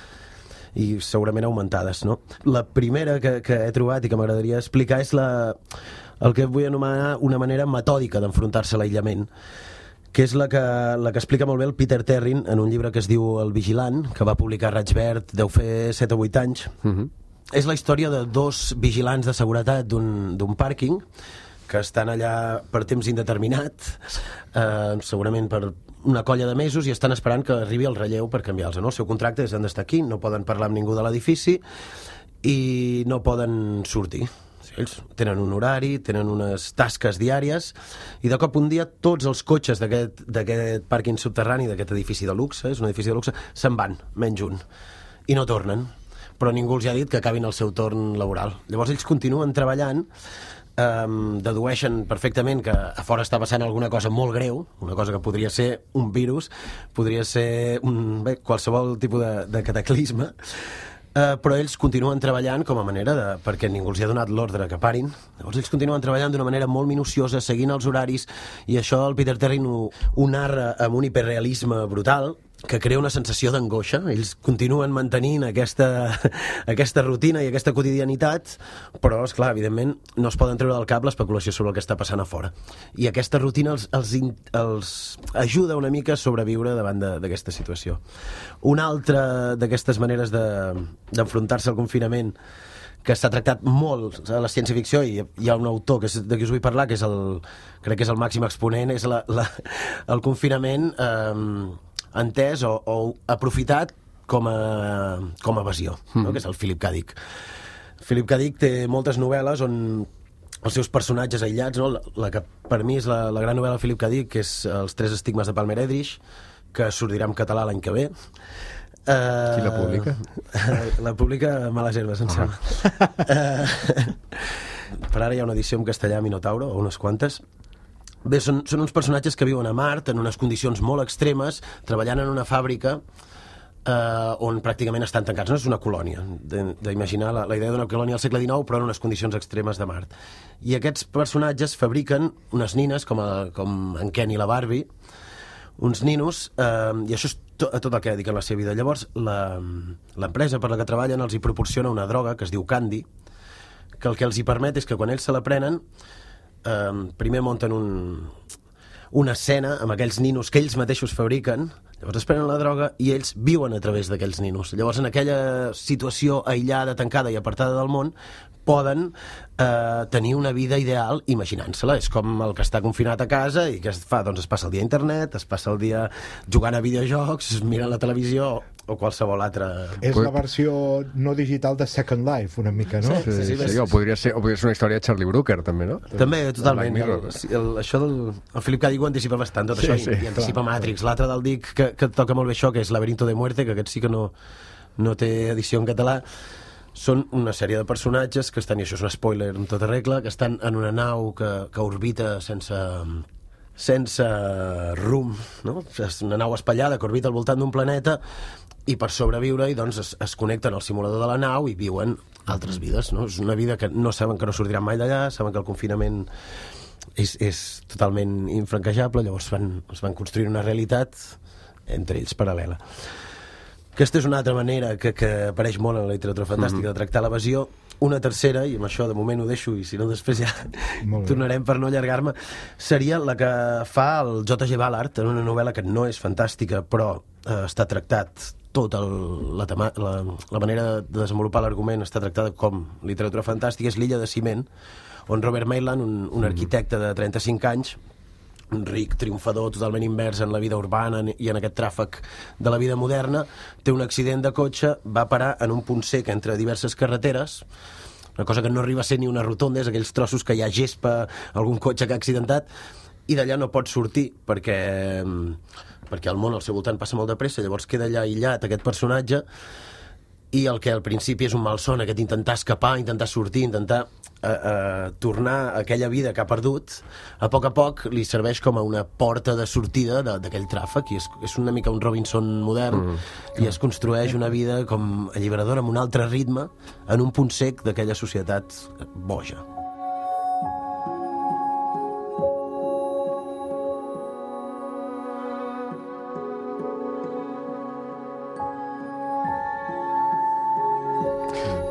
i segurament augmentades, no? La primera que, que he trobat i que m'agradaria explicar és la, el que vull anomenar una manera metòdica d'enfrontar-se a l'aïllament, que és la que, la que explica molt bé el Peter Terrin en un llibre que es diu El Vigilant, que va publicar Raig Verd, deu fer set o vuit anys. Mm-hmm. És la història de dos vigilants de seguretat d'un pàrquing que estan allà per temps indeterminat, eh, segurament per una colla de mesos, i estan esperant que arribi el relleu per canviar-los. No? El seu contracte és han d'estar aquí, no poden parlar amb ningú de l'edifici i no poden sortir. Ells tenen un horari, tenen unes tasques diàries, i de cop un dia tots els cotxes d'aquest pàrquing subterrani, d'aquest edifici de luxe, és un edifici de luxe, se'n van, menys un, i no tornen. Però ningú els ha dit que acabin el seu torn laboral. Llavors ells continuen treballant, Um, dedueixen perfectament que a fora està passant alguna cosa molt greu, una cosa que podria ser un virus, podria ser un, bé, qualsevol tipus de, de cataclisme, uh, però ells continuen treballant com a manera de, perquè ningú els ha donat l'ordre que parin. Llavors ells continuen treballant d'una manera molt minuciosa, seguint els horaris, i això el Peter Terrin ho, ho narra amb un hiperrealisme brutal, que crea una sensació d'angoixa. Ells continuen mantenint aquesta, aquesta rutina i aquesta quotidianitat, però, esclar, evidentment, no es poden treure del cap l'especulació sobre el que està passant a fora. I aquesta rutina els, els, els ajuda una mica a sobreviure davant d'aquesta situació. Una altra d'aquestes maneres d'enfrontar-se al confinament que s'ha tractat molt a la ciència-ficció, i hi ha un autor que és, de qui us vull parlar, que és el, crec que és el màxim exponent, és la, la, el confinament eh, entès o, o aprofitat com a, com a evasió, mm. no? Que és el Philip K. Dick. Philip K. Dick té moltes novel·les on els seus personatges aïllats, no? la, la que per mi és la, la gran novel·la de Philip K. Dick, que és Els tres estigmes de Palmer Eldritch, que sortirà en català l'any que ve. Uh, Qui la publica? La publica Males Herbes, em sembla. Uh, per ara hi ha una edició en castellà, Minotauro, o unes quantes. Bé, són, són uns personatges que viuen a Mart en unes condicions molt extremes, treballant en una fàbrica eh, on pràcticament estan tancats. No és una colònia, d'imaginar la, la idea d'una colònia al segle dinou, però en unes condicions extremes de Mart. I aquests personatges fabriquen unes nines, com, a, com en Ken i la Barbie, uns ninos, eh, i això és to, tot el que dediquen la seva vida. Llavors, l'empresa per la que treballen els hi proporciona una droga que es diu Candy, que el que els hi permet és que quan ells se la prenen, Uh, primer munten un, una escena amb aquells ninos que ells mateixos fabriquen, llavors es prenen la droga i ells viuen a través d'aquells ninos. Llavors en aquella situació aïllada, tancada i apartada del món, poden eh, tenir una vida ideal imaginant-se-la. És com el que està confinat a casa i que es fa, doncs es passa el dia a internet, es passa el dia jugant a videojocs, mirant la televisió o qualsevol altra... És la versió no digital de Second Life, una mica, no? Sí, sí, sí, sí, sí. O, podria ser, o podria ser una història de Charlie Brooker, també, no? També, totalment. El, el, això del el Philip K. Dick ho anticipa bastant, tot sí, això, sí, i, i anticipa clar, Matrix. Clar. L'altre del Dick, que, que toca molt bé això, que és Laberinto de Muerte, que aquest sí que no, no té edició en català. Són una sèrie de personatges que estan, i això és un spoiler en tota regla, que estan en una nau que, que orbita sense, sense rumb, no? És una nau espatllada que orbita al voltant d'un planeta, i per sobreviure-hi doncs, es, es connecten al simulador de la nau i viuen altres vides, no? És una vida que no saben que no sortiran mai d'allà, saben que el confinament és, és totalment infranquejable, llavors van, es van construir una realitat entre ells paral·lela. Aquesta és una altra manera que, que apareix molt en la literatura fantàstica mm-hmm. de tractar l'evasió. Una tercera, i amb això de moment ho deixo, i si no després ja tornarem per no allargar-me, seria la que fa el J G Ballard en una novel·la que no és fantàstica, però eh, està tractat tota la, la, la manera de desenvolupar l'argument està tractada com literatura fantàstica, és L'illa de ciment, on Robert Maitland, un, un arquitecte de trenta-cinc anys, un ric triomfador totalment invers en la vida urbana i en aquest tràfic de la vida moderna, té un accident de cotxe, va parar en un punt sec entre diverses carreteres, una cosa que no arriba a ser ni una rotonda, és aquells trossos que hi ha gespa, algun cotxe que ha accidentat, i d'allà no pot sortir perquè, perquè el món al seu voltant passa molt de pressa, llavors queda allà aïllat aquest personatge, i el que al principi és un malson, aquest intentar escapar, intentar sortir, intentar eh, eh, tornar a aquella vida que ha perdut, a poc a poc li serveix com a una porta de sortida d'aquell tràfic, i és, és una mica un Robinson modern, mm, i es construeix una vida com alliberadora, amb un altre ritme, en un punt sec d'aquella societat boja.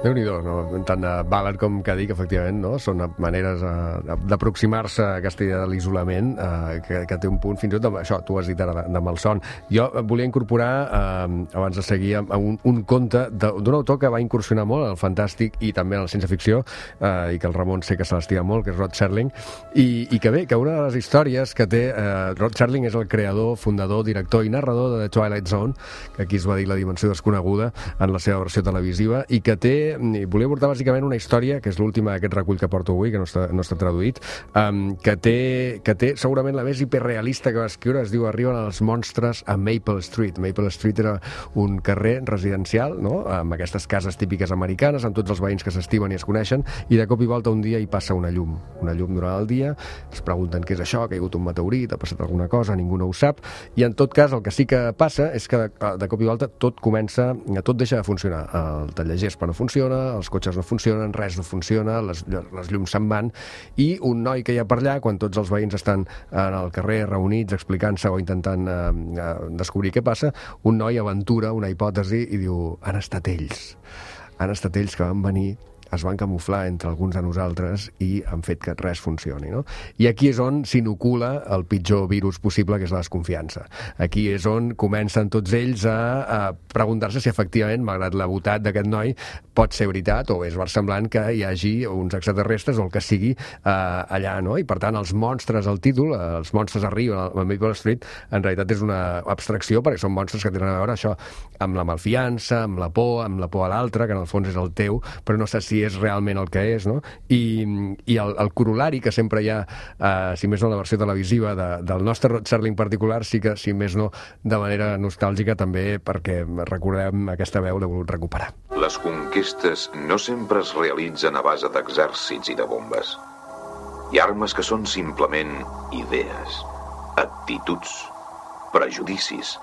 Déu-n'hi-do, no? Tant uh, Ballard com que dic, efectivament, no? Són maneres uh, d'aproximar-se a aquesta idea de l'isolament, uh, que, que té un punt, fins i tot, de, això, tu has dit ara, de, de malson. Jo volia incorporar, uh, abans de seguir, un, un conte d'un autor que va incursionar molt en el fantàstic i també en la ciència-ficció, uh, i que el Ramon sé que se l'estima molt, que és Rod Serling, i, i que bé, que una de les històries que té... Uh, Rod Serling és el creador, fundador, director i narrador de The Twilight Zone, que aquí es va dir La dimensió desconeguda en la seva versió televisiva, i que té i volia portar bàsicament una història, que és l'última d'aquest recull que porto avui, que no està, no està traduït, um, que, té, que té segurament la més hiperrealista que va escriure. Es diu Arriben els monstres a Maple Street. Maple Street era un carrer residencial, no?, amb aquestes cases típiques americanes, amb tots els veïns que s'estimen i es coneixen, i de cop i volta un dia hi passa una llum, una llum durant el dia, es pregunten què és això, ha caigut un meteorit, ha passat alguna cosa, ningú no ho sap, i en tot cas el que sí que passa és que de cop i volta tot comença, tot deixa de funcionar. El tallagespa no funciona, els cotxes no funcionen, res no funciona, les, les llums se'n van, i un noi que hi ha per allà, quan tots els veïns estan en el carrer reunits explicant-se o intentant eh, descobrir què passa, un noi aventura una hipòtesi i diu, han estat ells han estat ells que van venir, es van camuflar entre alguns de nosaltres i han fet que res funcioni, no? I aquí és on s'inocula el pitjor virus possible, que és la desconfiança. Aquí és on comencen tots ells a, a preguntar-se si efectivament, malgrat la botat d'aquest noi, pot ser veritat o és versemblant que hi hagi uns extraterrestres o el que sigui eh, allà, no? I per tant els monstres, el títol, els monstres arriben a Maple Street, en realitat és una abstracció, perquè són monstres que tenen a veure això amb la malfiança, amb la por, amb la por a l'altre, que en el fons és el teu, però no sé si és realment el que és, no? I, i el, el corolari que sempre hi ha, eh, si més no la versió televisiva de, del nostre Rod Serling particular, sí que, si més no, de manera nostàlgica també, perquè recordem aquesta veu, l'he volgut recuperar. Les conquestes no sempre es realitzen a base d'exèrcits i de bombes. Hi ha armes que són simplement idees, actituds, prejudicis,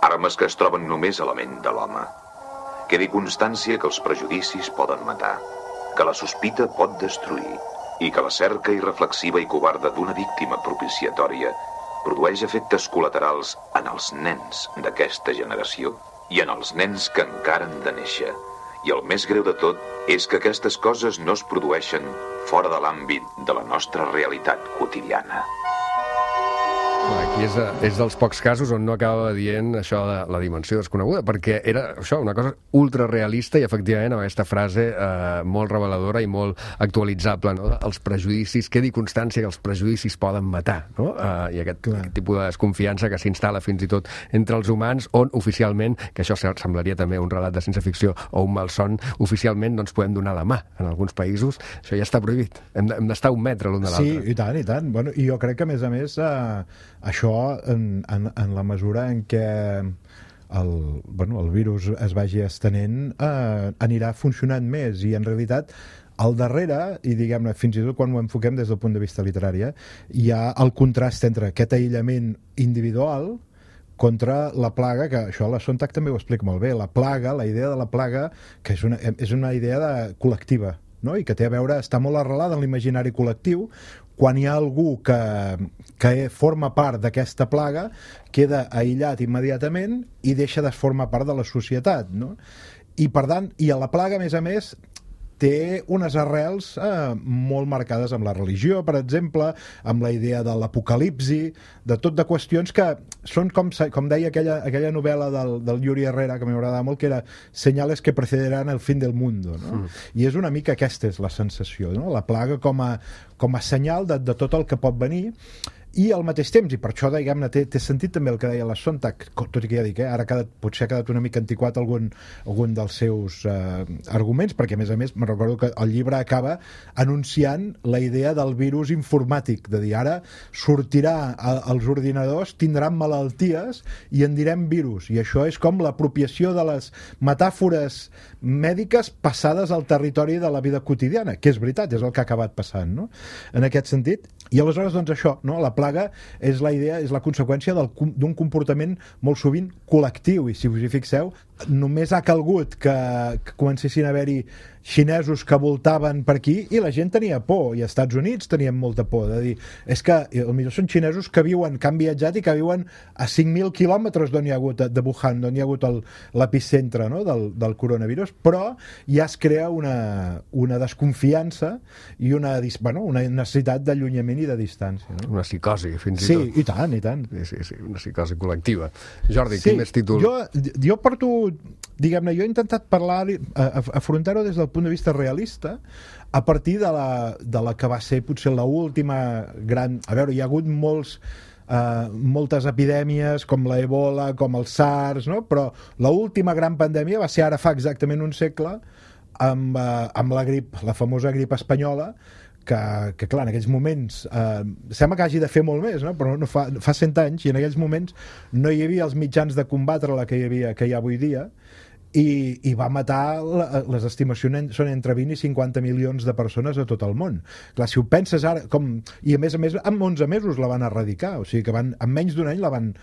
armes que es troben només a la ment de l'home. Quedi constància que els prejudicis poden matar, que la sospita pot destruir i que la cerca irreflexiva i covarda d'una víctima propiciatòria produeix efectes col·laterals en els nens d'aquesta generació i en els nens que encara han de néixer. I el més greu de tot és que aquestes coses no es produeixen fora de l'àmbit de la nostra realitat quotidiana. Aquí és, és dels pocs casos on no acaba dient això de la dimensió desconeguda, perquè era això, una cosa ultrarealista i efectivament amb aquesta frase eh, molt reveladora i molt actualitzable, no? Els prejudicis, quedi constància que els prejudicis poden matar, no? Eh, I aquest, aquest tipus de desconfiança que s'instal·la fins i tot entre els humans, on oficialment, que això semblaria també un relat de ciència-ficció o un malson, oficialment no ens podem donar la mà. En alguns països això ja està prohibit. Hem d'estar un metre l'un de l'altre. Sí, i tant, i tant. Bueno, i jo crec que, a més a més, eh, això, en, en, en la mesura en què el, bueno, el virus es vagi estenent, eh, anirà funcionant més, i en realitat al darrere, i diguem-ne, fins i tot quan ho enfoquem des del punt de vista literari, eh, hi ha el contrast entre aquest aïllament individual contra la plaga, que això la Sontag també ho explica molt bé, la plaga, la idea de la plaga, que és una, és una idea de, col·lectiva, no? I que té a veure, està molt arrelada en l'imaginari col·lectiu. Quan hi ha algú que, que forma part d'aquesta plaga, queda aïllat immediatament i deixa de formar part de la societat, no? I per tant, i a la plaga, a més a més, té unes arrels eh, molt marcades amb la religió, per exemple, amb la idea de l'apocalipsi, de tot de qüestions que són, com, com deia aquella, aquella novel·la del, del Yuri Herrera, que m'agradava molt, que era Senyales que precederan el fin del mundo, no? Mm. I és una mica aquesta és la sensació, no? La plaga com a, com a senyal de, de tot el que pot venir. I al mateix temps, i per això diguem-ne té, té sentit també el que deia la Sontag, tot i que ja dic, eh, ara ha quedat, potser ha quedat una mica antiquat algun, algun dels seus eh, arguments, perquè a més a més me'n recordo que el llibre acaba anunciant la idea del virus informàtic, de dir ara sortirà a, als ordinadors, tindran malalties i en direm virus, i això és com l'apropiació de les metàfores mèdiques passades al territori de la vida quotidiana, que és veritat, és el que ha acabat passant, no? En aquest sentit. I aleshores, doncs això, no? La plaga és la idea, és la conseqüència del, d'un comportament molt sovint col·lectiu, i si us hi fixeu, només ha calgut que, que comencessin a haver-hi xinesos que voltaven per aquí i la gent tenia por, i als Estats Units tenien molta por, de dir, és que potser són xinesos que viuen, que han viatjat i que viuen a cinc mil quilòmetres d'on hi ha hagut, de Wuhan, d'on hi ha hagut el, l'epicentre, no? del, del coronavirus, però ja es crea una, una desconfiança i una, bueno, una necessitat d'allunyament i de distància. No? Una psicosi, fins i sí, tot. Sí, i tant, i tant. Sí, sí, sí, una psicosi col·lectiva. Jordi, sí, quin més títol? Jo, jo porto, diguem-ne, jo he intentat parlar, afrontar-ho des del punt de vista realista, a partir de la, de la que va ser potser l'última gran... A veure, hi ha hagut molts... Uh, moltes epidèmies com la Ebola, com el SARS, no? Però l'última gran pandèmia va ser ara fa exactament un segle amb, uh, amb la grip, la famosa grip espanyola, que, que clar, en aquells moments uh, sembla que hagi de fer molt més, no? Però no fa, fa cent anys, i en aquells moments no hi havia els mitjans de combatre la que hi havia, que hi ha avui dia, i, i va matar, les estimacions són entre vint i cinquanta milions de persones a tot el món. Clar, si ho penses ara, com, i a més a més en onze mesos la van erradicar, o sigui que van, en menys d'un any la van,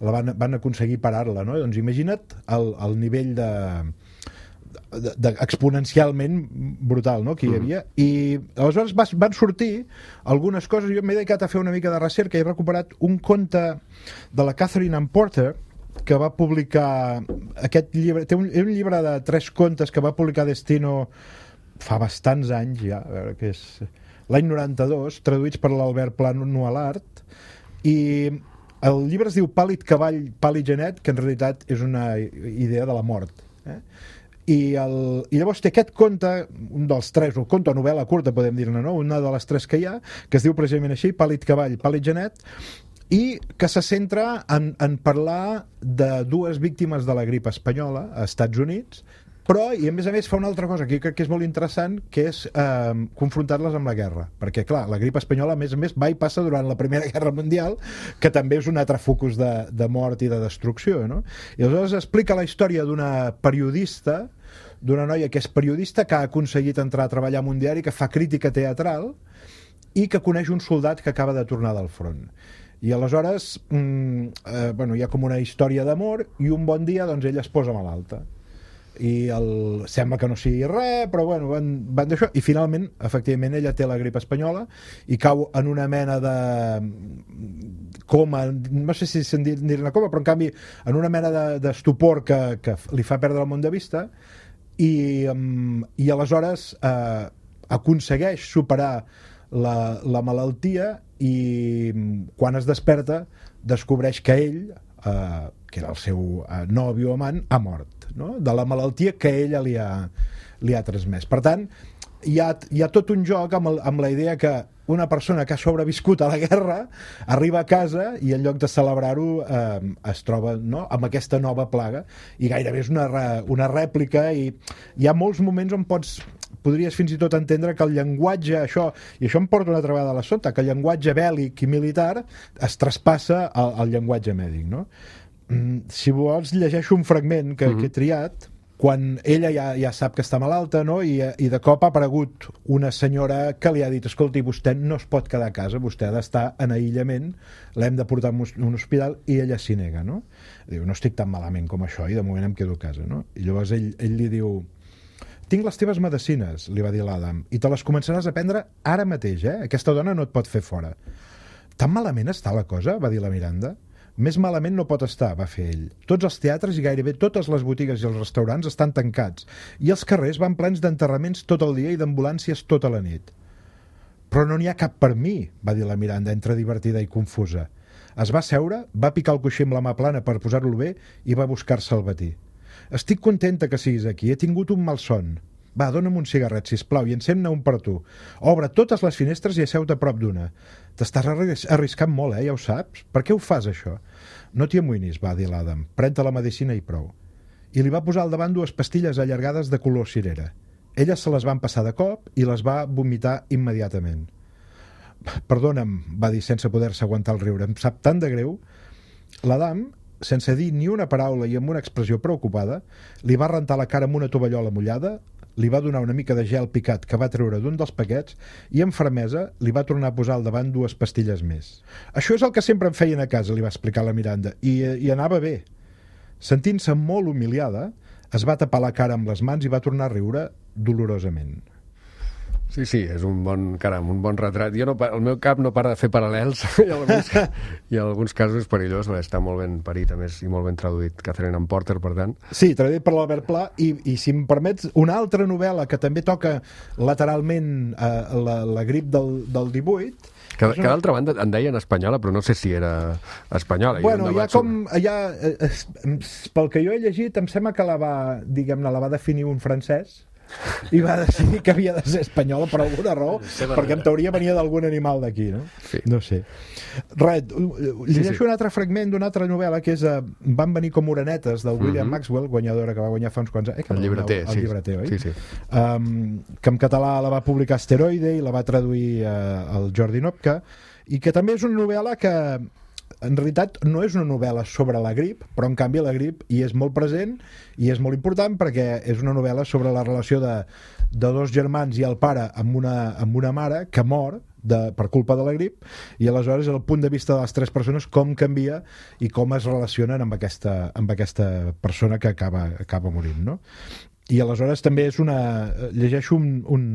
la van, van aconseguir parar-la, no? Doncs imagina't el, el nivell de, de, de exponencialment brutal, no?, que hi havia. I aleshores vas, van sortir algunes coses. Jo m'he dedicat a fer una mica de recerca i he recuperat un conte de la Catherine Ann Porter, que va publicar aquest llibre, té un, un llibre de tres contes que va publicar Destino fa bastants anys ja, a veure què és, l'any noranta-dos, traduïts per l'Albert Pla Nualart, i el llibre es diu Pàl·lid cavall, pàl·lid genet, que en realitat és una idea de la mort, eh? I, el, i llavors té aquest conte, un dels tres, o conte o novel·la curta podem dir-ne, no? Una de les tres que hi ha, que es diu precisament així, Pàl·lid cavall, pàl·lid genet, i que se centra en, en parlar de dues víctimes de la grip espanyola a Estats Units, però, i a més a més fa una altra cosa que crec que és molt interessant, que és eh, confrontar-les amb la guerra, perquè clar, la grip espanyola a més a més va i passa durant la Primera Guerra Mundial, que també és un altre focus de, de mort i de destrucció, no? I aleshores explica la història d'una periodista, d'una noia que és periodista, que ha aconseguit entrar a treballar en un diari, que fa crítica teatral i que coneix un soldat que acaba de tornar del front. I aleshores mm, eh, bueno, hi ha com una història d'amor, i un bon dia doncs ella es posa malalta i el... sembla que no sigui res, però bueno, van, van d'això, i finalment efectivament ella té la grip espanyola i cau en una mena de coma, no sé si se'n dir-ne coma, però en canvi en una mena d'estupor de, que, que li fa perdre el món de vista, i, um, i aleshores eh, aconsegueix superar la, la malaltia, i quan es desperta descobreix que ell, eh, que era el seu eh, nòvio o amant, ha mort, no? De la malaltia que ella li ha, li ha transmès. Per tant, hi ha, hi ha tot un joc amb, el, amb la idea que una persona que ha sobreviscut a la guerra arriba a casa i en lloc de celebrar-ho eh, es troba, no?, amb aquesta nova plaga, i gairebé és una, una rèplica, i hi ha molts moments on pots podries fins i tot entendre que el llenguatge, això, i això em porta una altra vegada a la sota, que el llenguatge bèl·lic i militar es traspassa al, al llenguatge mèdic, no? Mm, si vols, llegeixo un fragment que, mm-hmm. que he triat, quan ella ja, ja sap que està malalta, no? I, i de cop ha aparegut una senyora que li ha dit, escolti, vostè no es pot quedar a casa, vostè ha d'estar en aïllament, l'hem de portar a un hospital, i ella s'hi nega, no? Diu, no estic tan malament com això, i de moment em quedo a casa, no? I llavors ell, ell li diu, tinc les teves medicines, li va dir l'Adam, i te les començaràs a prendre ara mateix, eh? Aquesta dona no et pot fer fora. Tan malament està la cosa? Va dir la Miranda. Més malament no pot estar, va fer ell. Tots els teatres i gairebé totes les botigues i els restaurants estan tancats, i els carrers van plens d'enterraments tot el dia i d'ambulàncies tota la nit. Però no n'hi ha cap per mi, va dir la Miranda, entre divertida i confusa. Es va seure, va picar el coixí amb la mà plana per posar-lo bé i va buscar-se el batí. Estic contenta que siguis aquí, he tingut un malson. Va, dona'm un cigarret, sisplau, i encén-ne un per tu. Obre totes les finestres i asseu-te a prop d'una. T'estàs arris arriscant molt, eh? Ja ho saps? Per què ho fas, això? No t'hi amoïnis, va dir l'Adam. Pren-te la medicina i prou. I li va posar al davant dues pastilles allargades de color cirera. Ella se les van passar de cop i les va vomitar immediatament. Perdona'm, va dir sense poder-se aguantar el riure. Em sap tant de greu. L'Adam, sense dir ni una paraula i amb una expressió preocupada, li va rentar la cara amb una tovallola mullada, li va donar una mica de gel picat que va treure d'un dels paquets i amb fermesa li va tornar a posar al davant dues pastilles més. Això és el que sempre em feien a casa, li va explicar la Miranda, i, i anava bé. Sentint-se molt humiliada, es va tapar la cara amb les mans i va tornar a riure dolorosament. Sí, sí, és un bon, caram, un bon retrat. Jo no, el meu cap no para de fer paral·lels i en alguns, i en alguns casos és perillós, està molt ben parit, a més, i molt ben traduït. Catherine Ann Porter, per tant. Sí, traduït per l'Albert Pla, i, i si em permets, una altra novel·la que també toca lateralment eh, la, la grip del, del divuit. Que, que d'altra banda en deien espanyola, però no sé si era espanyola. Bueno, hi ha com... Hi ha, eh, pel que jo he llegit, em sembla que la va, diguem-ne, la va definir un francès, i va decidir que havia de ser espanyola per alguna raó, perquè en teoria venia d'algun animal d'aquí, no? Sí. No sé. Res, llegeixo sí, sí. un altre fragment d'una altra novel·la que és uh, Van venir com orenetes, del William mm-hmm. Maxwell, guanyadora que va guanyar fa uns quants anys. Eh, el llibreter, el, el sí. llibreter, oi? Sí, sí. Um, que en català la va publicar Asteroide i la va traduir uh, el Jordi Nopka, i que també és una novel·la que en realitat no és una novel·la sobre la grip, però en canvi la grip hi és molt present i és molt important perquè és una novel·la sobre la relació de, de dos germans i el pare amb una, amb una mare que mor de, per culpa de la grip, i aleshores el punt de vista de les tres persones com canvia i com es relacionen amb aquesta, amb aquesta persona que acaba, acaba morint, no? I aleshores també és una... llegeixo un, un,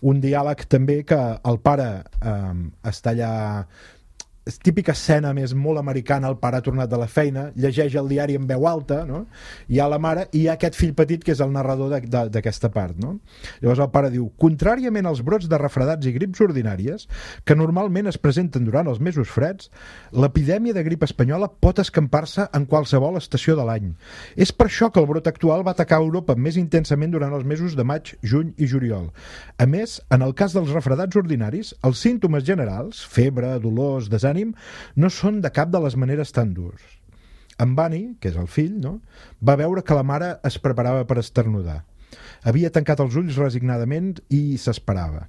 un diàleg també que el pare eh, està allà... és típica escena més molt americana, el pare ha tornat de la feina, llegeix el diari en veu alta, no? Hi ha la mare i hi ha aquest fill petit que és el narrador d'aquesta part, no? Llavors el pare diu: contràriament als brots de refredats i grips ordinàries, que normalment es presenten durant els mesos freds, l'epidèmia de grip espanyola pot escampar-se en qualsevol estació de l'any. És per això que el brot actual va atacar Europa més intensament durant els mesos de maig, juny i juliol. A més, en el cas dels refredats ordinaris, els símptomes generals, febre, dolors, desànim, no són de cap de les maneres tan durs. En Bunny, que és el fill, no? Va veure que la mare es preparava per esternudar. Havia tancat els ulls resignadament i s'esperava.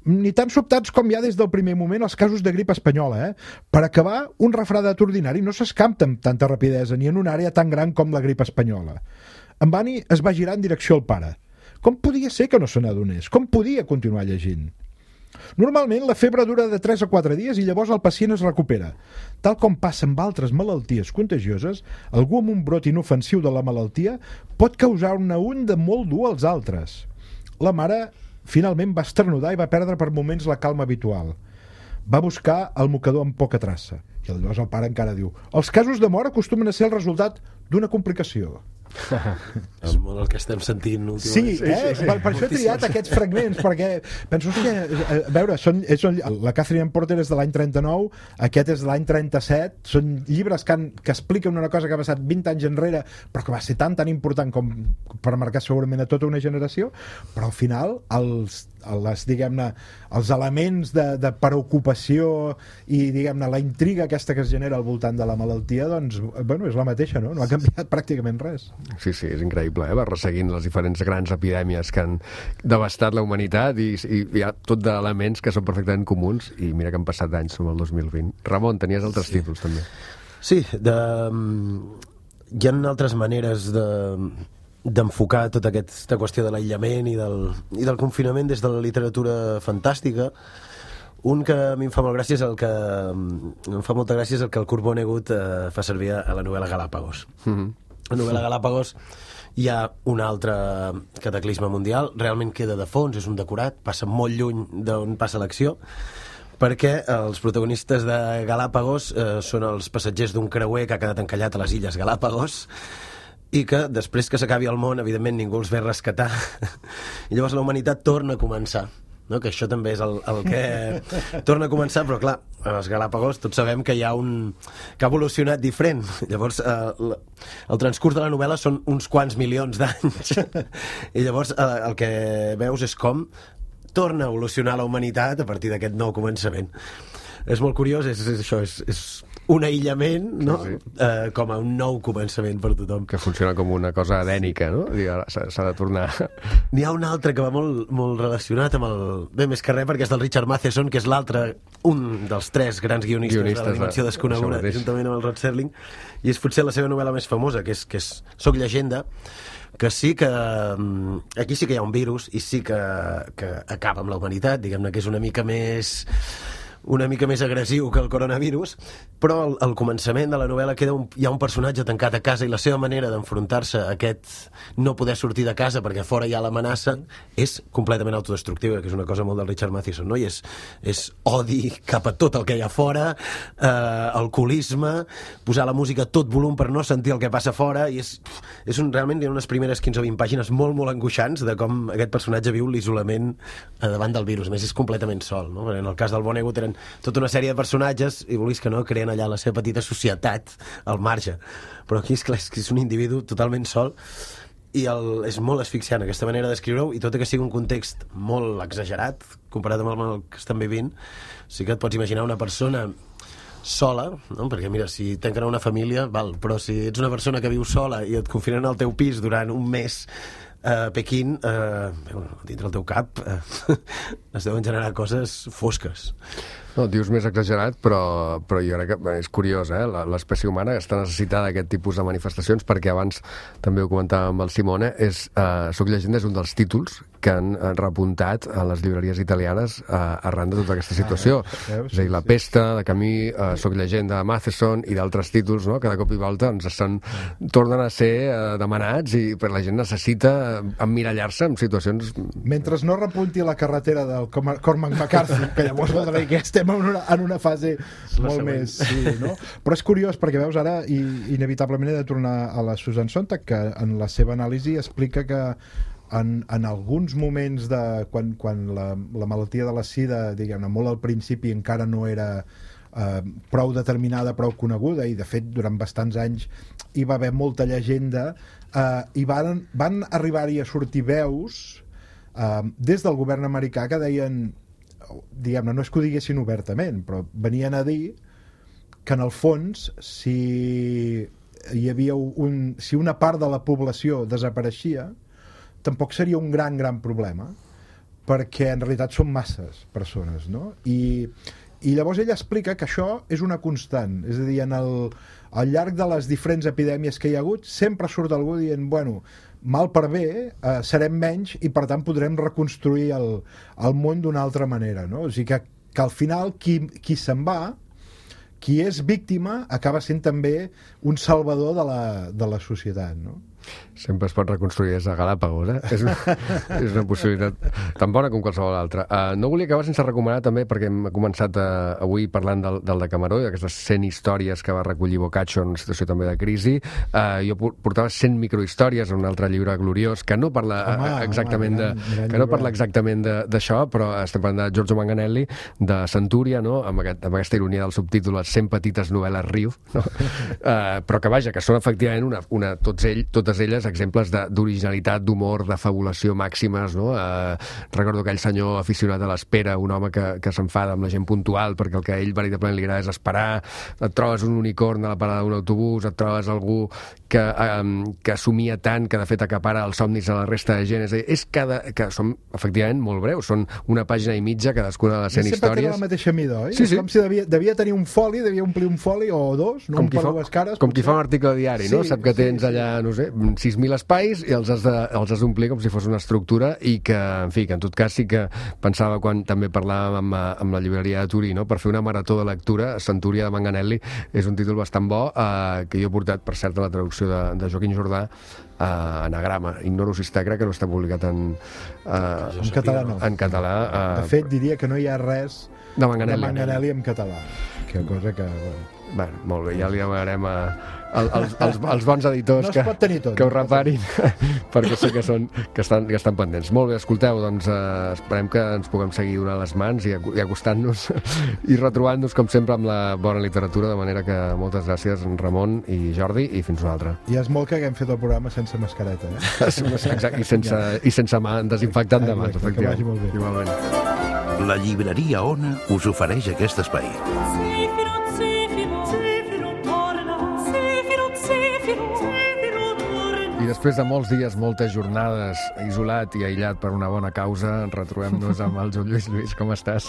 Ni tan sobtats com hi ha des del primer moment els casos de grip espanyola, eh? Per acabar, un refredat ordinari no s'escampa amb tanta rapidesa ni en una àrea tan gran com la grip espanyola. En Bunny es va girar en direcció al pare. Com podia ser que no se n'adonés? Com podia continuar llegint? Normalment la febre dura de tres a quatre dies i llavors el pacient es recupera. Tal com passa amb altres malalties contagioses, algú amb un brot inofensiu de la malaltia pot causar una onda molt dur als altres. La mare finalment va esternudar i va perdre per moments la calma habitual. Va buscar el mocador amb poca traça. I llavors el pare encara diu: els casos de mort acostumen a ser el resultat d'una complicació. És molt el que estem sentint Sí, últimament. eh? Sí, sí, sí. Per, per això he triat aquests fragments, perquè penso que, a veure, són, són, la Catherine Ann Porter és de l'any trenta-nou, aquest és de l'any trenta-set, són llibres que, han, que expliquen una cosa que ha passat vint anys enrere, però que va ser tan tan important com per marcar segurament a tota una generació, però al final els, les, diguem-ne, els elements de, de preocupació i, diguem-ne, la intriga aquesta que es genera al voltant de la malaltia, doncs, bueno, és la mateixa, no? No ha canviat pràcticament res. Sí, sí, és increïble, eh? Va resseguint les diferents grans epidèmies que han devastat la humanitat i, i hi ha tot d'elements que són perfectament comuns i mira que han passat anys, som el dos mil vint. Ramon, tenies altres sí. títols també. Sí, de... hi ha altres maneres de d'enfocar tota aquesta qüestió de l'aïllament i del, i del confinament des de la literatura fantàstica. Un que a mi em fa molt gràcia és el que em fa molta gràcia és el que el Kurt Vonnegut eh, fa servir a la novel·la Galápagos. Mm-hmm. A la novel·la Galápagos hi ha un altre cataclisme mundial, realment queda de fons, és un decorat, passa molt lluny d'on passa l'acció, perquè els protagonistes de Galápagos eh, són els passatgers d'un creuer que ha quedat encallat a les illes Galápagos i que després que s'acabi el món, evidentment ningú els ve rescatar i llavors la humanitat torna a començar. no? Que això també és el, el que torna a començar, però clar, a les Galàpagos tots sabem que hi ha un... que ha evolucionat diferent. Llavors, eh, el transcurs de la novel·la són uns quants milions d'anys. I llavors eh, el que veus és com torna a evolucionar la humanitat a partir d'aquest nou començament. És molt curiós, és, és això, és, és un aïllament, no? Sí, sí. Eh, com a un nou començament per tothom. Que funciona com una cosa adènica, no? S'ha de tornar... N'hi ha un altre que va molt, molt relacionat amb el... Bé, més que res, perquè és del Richard Matheson, que és l'altre, un dels tres grans guionistes, guionistes de la Dimensió Desconeguda, juntament amb el Rod Serling, i és potser la seva novel·la més famosa, que és, que és Soc llegenda, que sí que... Aquí sí que hi ha un virus i sí que, que acaba amb la humanitat, diguem-ne que és una mica més... una mica més agressiu que el coronavirus, però al, al començament de la novel·la queda un, hi ha un personatge tancat a casa i la seva manera d'enfrontar-se a aquest no poder sortir de casa perquè fora hi ha l'amenaça és completament autodestructiva, que és una cosa molt del Richard Matheson, no? I és, és odi cap a tot el que hi ha fora, eh, alcoholisme, posar la música a tot volum per no sentir el que passa fora, i és, és un, realment hi ha unes primeres quinze o vint pàgines molt, molt angoixants de com aquest personatge viu l'isolament eh, davant del virus. A més, és completament sol, no? En el cas del Vonnegut eren tota una sèrie de personatges i vulguis que no, creen allà la seva petita societat al marge, però aquí és clar, és, que és un individu totalment sol i el, és molt asfixiant aquesta manera d'escriure-ho, i tot i que sigui un context molt exagerat comparat amb el que estan vivint, sí que et pots imaginar una persona sola, no? Perquè mira, si tanquen una família val, però si ets una persona que viu sola i et confinen al teu pis durant un mes a Pequín, eh, dintre el teu cap eh, es deuen generar coses fosques. No, dius més exagerat, però, però jo crec que és curiós, eh? L'espècie humana està necessitada d'aquest tipus de manifestacions, perquè abans també ho comentàvem amb el Simone, és, eh, Soc llegenda és un dels títols que han repuntat a les llibreries italianes eh, arran de tota aquesta situació. Ah, és a dir, La pesta, de Camí, eh, Soc llegenda, de Matheson i d'altres títols, no? Que de cop i volta ens estan, tornen a ser eh, demanats, i per la gent necessita emmirallar-se en situacions... Mentre no repunti la carretera del Cormac McCarthy, que llavors voldrà dir que estem en una, en una fase molt més... Sí, no? Però és curiós, perquè veus ara, i inevitablement he de tornar a la Susan Sontag, que en la seva anàlisi explica que en, en alguns moments de quan, quan la, la malaltia de la sida, diguem-ne, molt al principi encara no era eh, prou determinada, prou coneguda, i de fet durant bastants anys hi va haver molta llegenda, eh, i van, van arribar-hi a sortir veus eh, des del govern americà que deien, diguem-ne, no és que ho diguessin obertament, però venien a dir que en el fons, si hi havia un, si una part de la població desapareixia, tampoc seria un gran, gran problema, perquè en realitat són masses persones, no? I, i llavors ella explica que això és una constant, és a dir, en el, al llarg de les diferents epidèmies que hi ha hagut, sempre surt algú dient, bueno, mal per bé, eh, serem menys i per tant podrem reconstruir el, el món d'una altra manera, no? O sigui que, que al final qui, qui se'n va, qui és víctima, acaba sent també un salvador de la, de la societat, no? Sempre es pot reconstruir des de Galàpagos, eh? És una, és una possibilitat tan bona com qualsevol altra. Uh, no volia acabar sense recomanar també, perquè hem començat uh, avui parlant del, del Decameró i d'aquestes cent històries que va recollir Boccaccio en una situació també de crisi. Uh, jo portava cent microhistòries en un altre llibre gloriós que no parla home, exactament home, de, gran, que no parla exactament d'això, però estem parlant de Giorgio Manganelli, de Centúria, no? Amb, aquest, amb aquesta ironia del subtítol, les cent petites novel·les Riu, no? uh, però que vaja, que són efectivament una, una, tots ell, totes elles exemples d'originalitat, d'humor, de fabulació màximes, no? Eh, recordo aquell senyor aficionat a l'espera, un home que, que s'enfada amb la gent puntual perquè el que a ell veritablement li agrada és esperar, et trobes un unicorn a la parada d'un autobús, et trobes algú que, eh, que somia tant que de fet acapara els somnis a la resta de gent, és a dir, és cada, que són efectivament molt breus, són una pàgina i mitja cadascuna de les cent històries. Sempre tenen la mateixa mida, oi? Sí, sí. És com si devia, devia tenir un foli, devia omplir un foli o dos, no? Com qui, fa, cares, com qui fa un article de diari, sí, no? Sap que tens sí, sí. allà, no sé, sis mil espais i els has, de, els has d'omplir com si fos una estructura, i que, en fi, que en tot cas sí que pensava quan també parlàvem amb, amb la llibreria de Turí, no? Per fer una marató de lectura, Centúria de Manganelli és un títol bastant bo, eh, que jo he portat, per cert, a la traducció de, de Joaquim Jordà, eh, anagrama. Ignoro si està, crec que no està publicat en, eh, en català. No. En català. Eh, de fet, diria que no hi ha res de Manganelli, de Manganelli en català, que cosa que... Bueno, bueno, molt bé, ja li demanarem a, a, als, als, als bons editors no que, tot, que ho reparin, perquè sé que, són, que, estan, que estan pendents. Molt bé, escolteu, doncs eh, esperem que ens puguem seguir donant les mans i, i acostant-nos i retrobant-nos, com sempre, amb la bona literatura, de manera que moltes gràcies, Ramon i Jordi, i fins una altra. I és molt que haguem fet el programa sense mascareta, eh? Exacte, i sense, i sense mà, desinfectant de mans, exacte, que vagi molt bé. Igualment. La llibreria Ona us ofereix aquest espai. I després de molts dies, moltes jornades, isolat i aïllat per una bona causa, retrobem-nos amb el Joan Lluís. Lluís, com estàs?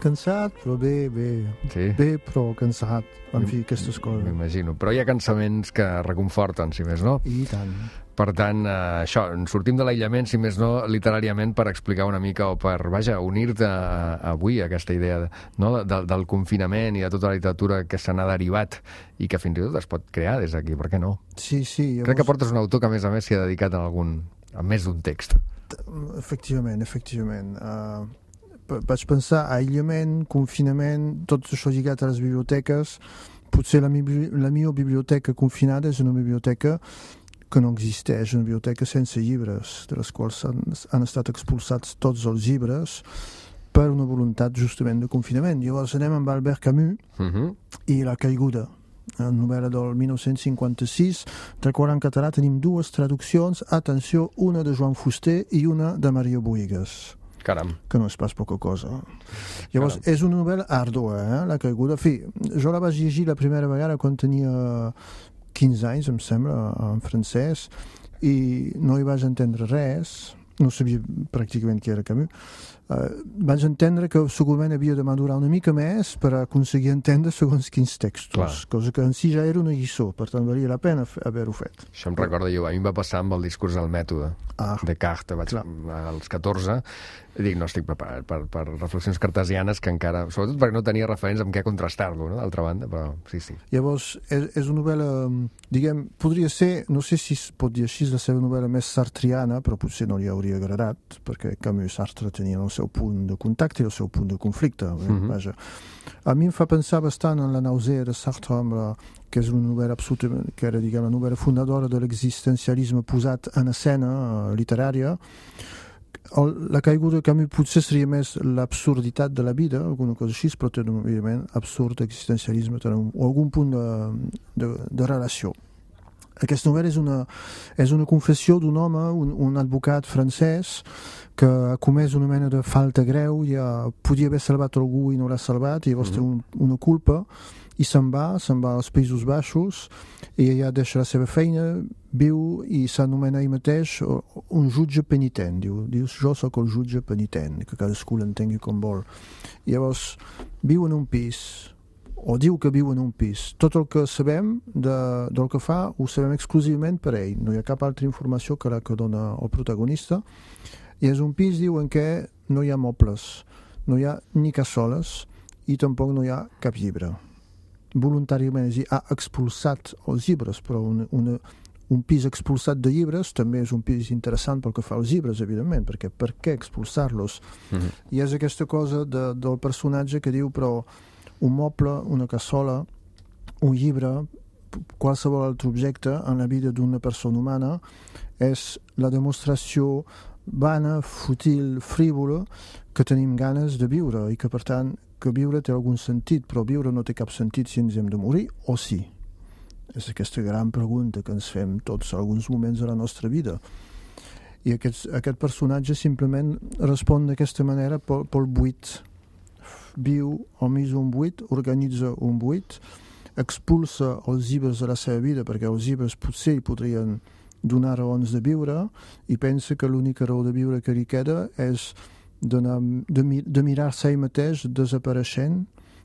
Cansat, però bé, bé. Sí? Bé, però cansat. En fi, aquestes coses. M'imagino. Però hi ha cansaments que reconforten, si més no. I tant. Per tant, eh, això, sortim de l'aïllament, si més no, literàriament, per explicar una mica o per, vaja, unir-te a, a avui a aquesta idea de, no, de, del confinament i de tota la literatura que se n'ha derivat i que fins i tot es pot crear des d'aquí, per què no? Sí, sí. Llavors... Crec que portes un autor que, a més a més, s'hi ha dedicat a, algun, a més d'un text. Efectivament, efectivament. Uh, vaig pensar aïllament, confinament, tot això lligat a les biblioteques. Potser la, mi, la meva biblioteca confinada és una biblioteca que no existeix, una biblioteca sense llibres, de les quals han, han estat expulsats tots els llibres per una voluntat justament de confinament. Llavors anem amb Albert Camus uh-huh. i La caiguda, una novel·la del mil nou-cents cinquanta-sis, del qual en català tenim dues traduccions, atenció, una de Joan Fuster i una de Maria Bohigas. Caram. Que no és pas poca cosa. Llavors, Caram. És una novel·la àrdua, eh? La caiguda. En fi, jo la vaig llegir la primera vegada quan tenia quinze anys, em sembla, en francès, i no hi vaig entendre res, no sabia pràcticament qui era Camus. Uh, vaig entendre que segurament havia de madurar una mica més per aconseguir entendre segons quins textos, Clar. Cosa que en si ja era una lliçó, per tant valia la pena haver-ho fet. Això em recorda jo, a mi em va passar amb el discurs del mètode ah, de Descartes, vaig clar. als catorze, i dic, no estic preparat per, per reflexions cartesianes que encara, sobretot perquè no tenia referents amb què contrastar-lo, no? D'altra banda, però sí, sí. Llavors, és, és una novel·la, diguem, podria ser, no sé si es pot dir així, la seva novel·la més sartriana, però potser no li hauria agradat, perquè Camus i Sartre tenien el seu punt de contacte i el seu punt de conflicte. Mm-hmm. Vaja. A mi em fa pensar bastant en La nausea de Sartre, amb la, que és una novel·la absolutament, que era, diguem, la novel·la fundadora de l'existencialisme posat en escena uh, literària. El, la caiguda de Camus potser seria més l'absurditat de la vida, alguna cosa així, però té un evident absurd existencialisme, té un, o algun punt de, de, de relació. Aquesta novel·la és una, és una confessió d'un home, un, un advocat francès, que ha comès una mena de falta greu, ja podia haver salvat algú i no l'ha salvat, i llavors mm-hmm. té un, una culpa, i se'n va, se'n va als Països Baixos, i ella deixa la seva feina, viu i s'anomena ell mateix un jutge penitent. Diu, diu jo sóc el jutge penitent, que cadascú l'entengui com vol. I llavors viu en un pis, o diu que viu en un pis. Tot el que sabem de, del que fa ho sabem exclusivament per ell. No hi ha cap altra informació que la que dona el protagonista. I és un pis, diu, en què no hi ha mobles, no hi ha ni cassoles i tampoc no hi ha cap llibre. Voluntàriament, és a dir, ha expulsat els llibres, però una, una, un pis expulsat de llibres també és un pis interessant pel que fa als llibres, evidentment, perquè per què expulsar-los? Mm-hmm. I és aquesta cosa de, del personatge que diu, però un moble, una cassola, un llibre, qualsevol altre objecte en la vida d'una persona humana és la demostració vana, fútil, frívola, que tenim ganes de viure i que, per tant, que viure té algun sentit, però viure no té cap sentit si ens hem de morir, o sí? És aquesta gran pregunta que ens fem tots en alguns moments de la nostra vida. I aquest, aquest personatge simplement respon d'aquesta manera pel, pel buit. Viu al mig d'un buit, organitza un buit, expulsa els llibres de la seva vida, perquè els llibres potser hi podrien donar raons de viure, i pensa que l'única raó de viure que li queda és de, de, de mirar-se ell mateix desapareixent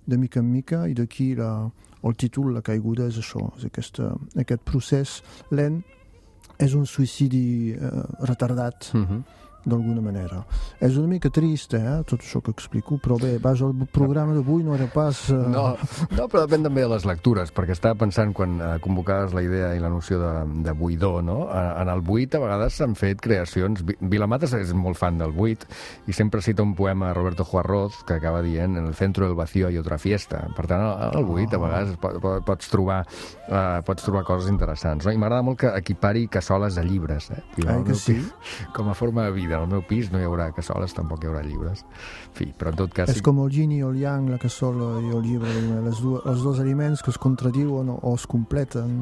de mica en mica, i d'aquí la, el títol, La caiguda, és això, és aquesta, aquest procés lent, és un suïcidi eh, retardat, mm-hmm. d'alguna manera. És una mica trist, eh, tot això que explico, però bé, vas al programa d'avui no era pas... Uh... No, no, però depèn també de les lectures, perquè estava pensant quan eh, convocaves la idea i la noció de, de buidor, no? En el buit a vegades s'han fet creacions... Vilamatas és molt fan del buit i sempre cita un poema de Roberto Juarroz que acaba dient en el centro del vacío hay otra fiesta. Per tant, al buit a vegades pots trobar, uh, pots trobar coses interessants, no? I m'agrada molt que equipari cassoles a llibres, eh? Ah, que sí? Com a forma de vida. En el meu pis no hi haurà cassoles, tampoc hi haurà llibres. En fi, però en tot cas... És com el yin i el yang, la cassola i el llibre, les dues, els dos aliments que es contradiuen o, o es completen.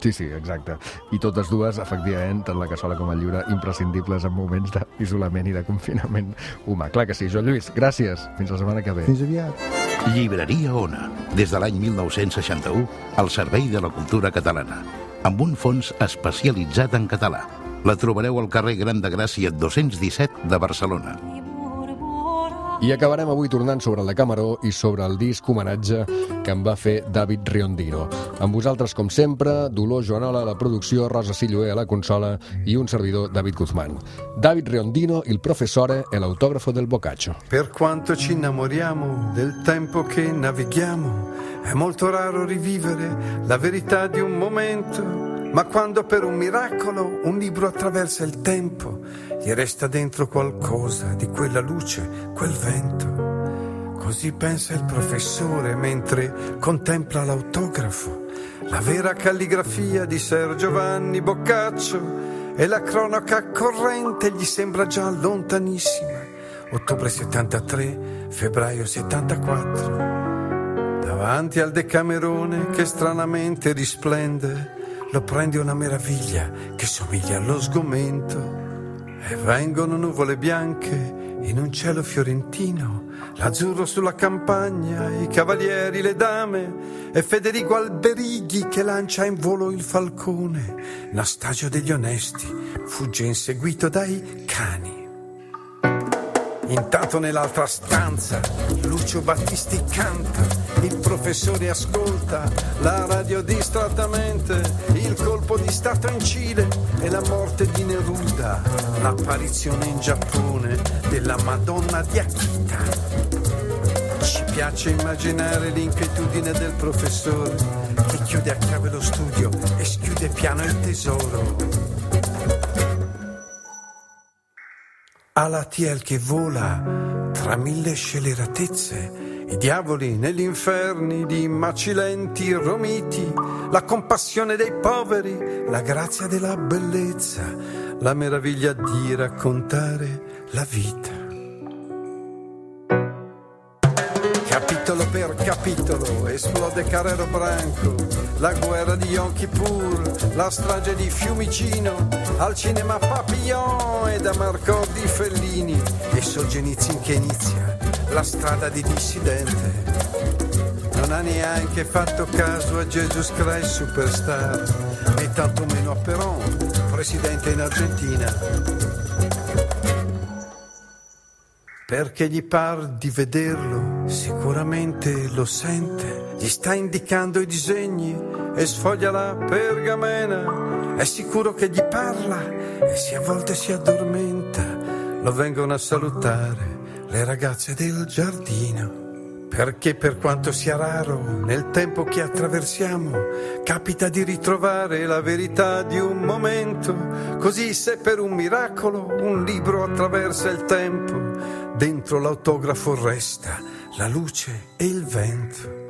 Sí, sí, exacte. I totes dues, efectivament, tant la cassola com el llibre, imprescindibles en moments d'isolament i de confinament humà. Clar que sí. Joan Lluís, gràcies. Fins la setmana que ve. Fins aviat. Llibreria Ona, des de l'any mil nou-cents seixanta-u, al servei de la cultura catalana, amb un fons especialitzat en català. La trobareu al carrer Gran de Gràcia dos-cents disset de Barcelona. I acabarem avui tornant sobre el Decameró i sobre el disc homenatge que em va fer David Riondino. Amb vosaltres, com sempre, Dolors Joanola a la producció, Rosa Silloé a la consola i un servidor, David Guzmán. David Riondino, il professore e l'autografo del Boccaccio. Per quanto ci innamoriamo del tempo che navighiamo, è molto raro rivivere la verità di un momento. Ma quando per un miracolo un libro attraversa il tempo, gli resta dentro qualcosa di quella luce, quel vento. Così pensa il professore mentre contempla l'autografo, la vera calligrafia di Ser Giovanni Boccaccio, e la cronaca corrente gli sembra già lontanissima. Ottobre settantatré, febbraio settantaquattro. Davanti al Decamerone che stranamente risplende, lo prende una meraviglia che somiglia allo sgomento, e vengono nuvole bianche in un cielo fiorentino, l'azzurro sulla campagna, i cavalieri, le dame, e Federico Alberighi che lancia in volo il falcone. Nastagio degli onesti fugge inseguito dai cani. Intanto nell'altra stanza Lucio Battisti canta, il professore ascolta la radio distrattamente, il colpo di stato in Cile e la morte di Neruda, l'apparizione in Giappone della Madonna di Akita. Ci piace immaginare l'inquietudine del professore che chiude a chiave lo studio e schiude piano il tesoro. Alatiel che vola tra mille scelleratezze, i diavoli negli inferni di macilenti romiti, la compassione dei poveri, la grazia della bellezza, la meraviglia di raccontare la vita. Capitolo per capitolo esplode Carrero Branco, la guerra di Yom Kippur, la strage di Fiumicino, al cinema Papillon e da Marco di Fellini, e Solzhenitsyn che inizia la strada di dissidente. Non ha neanche fatto caso a Jesus Christ Superstar, e tantomeno a Perón, presidente in Argentina. Perché gli par di vederlo, sicuramente lo sente, gli sta indicando i disegni e sfoglia la pergamena, è sicuro che gli parla e se a volte si addormenta, lo vengono a salutare le ragazze del giardino. Perché per quanto sia raro nel tempo che attraversiamo, capita di ritrovare la verità di un momento. Così se per un miracolo un libro attraversa il tempo, dentro l'autografo resta la luce e il vento.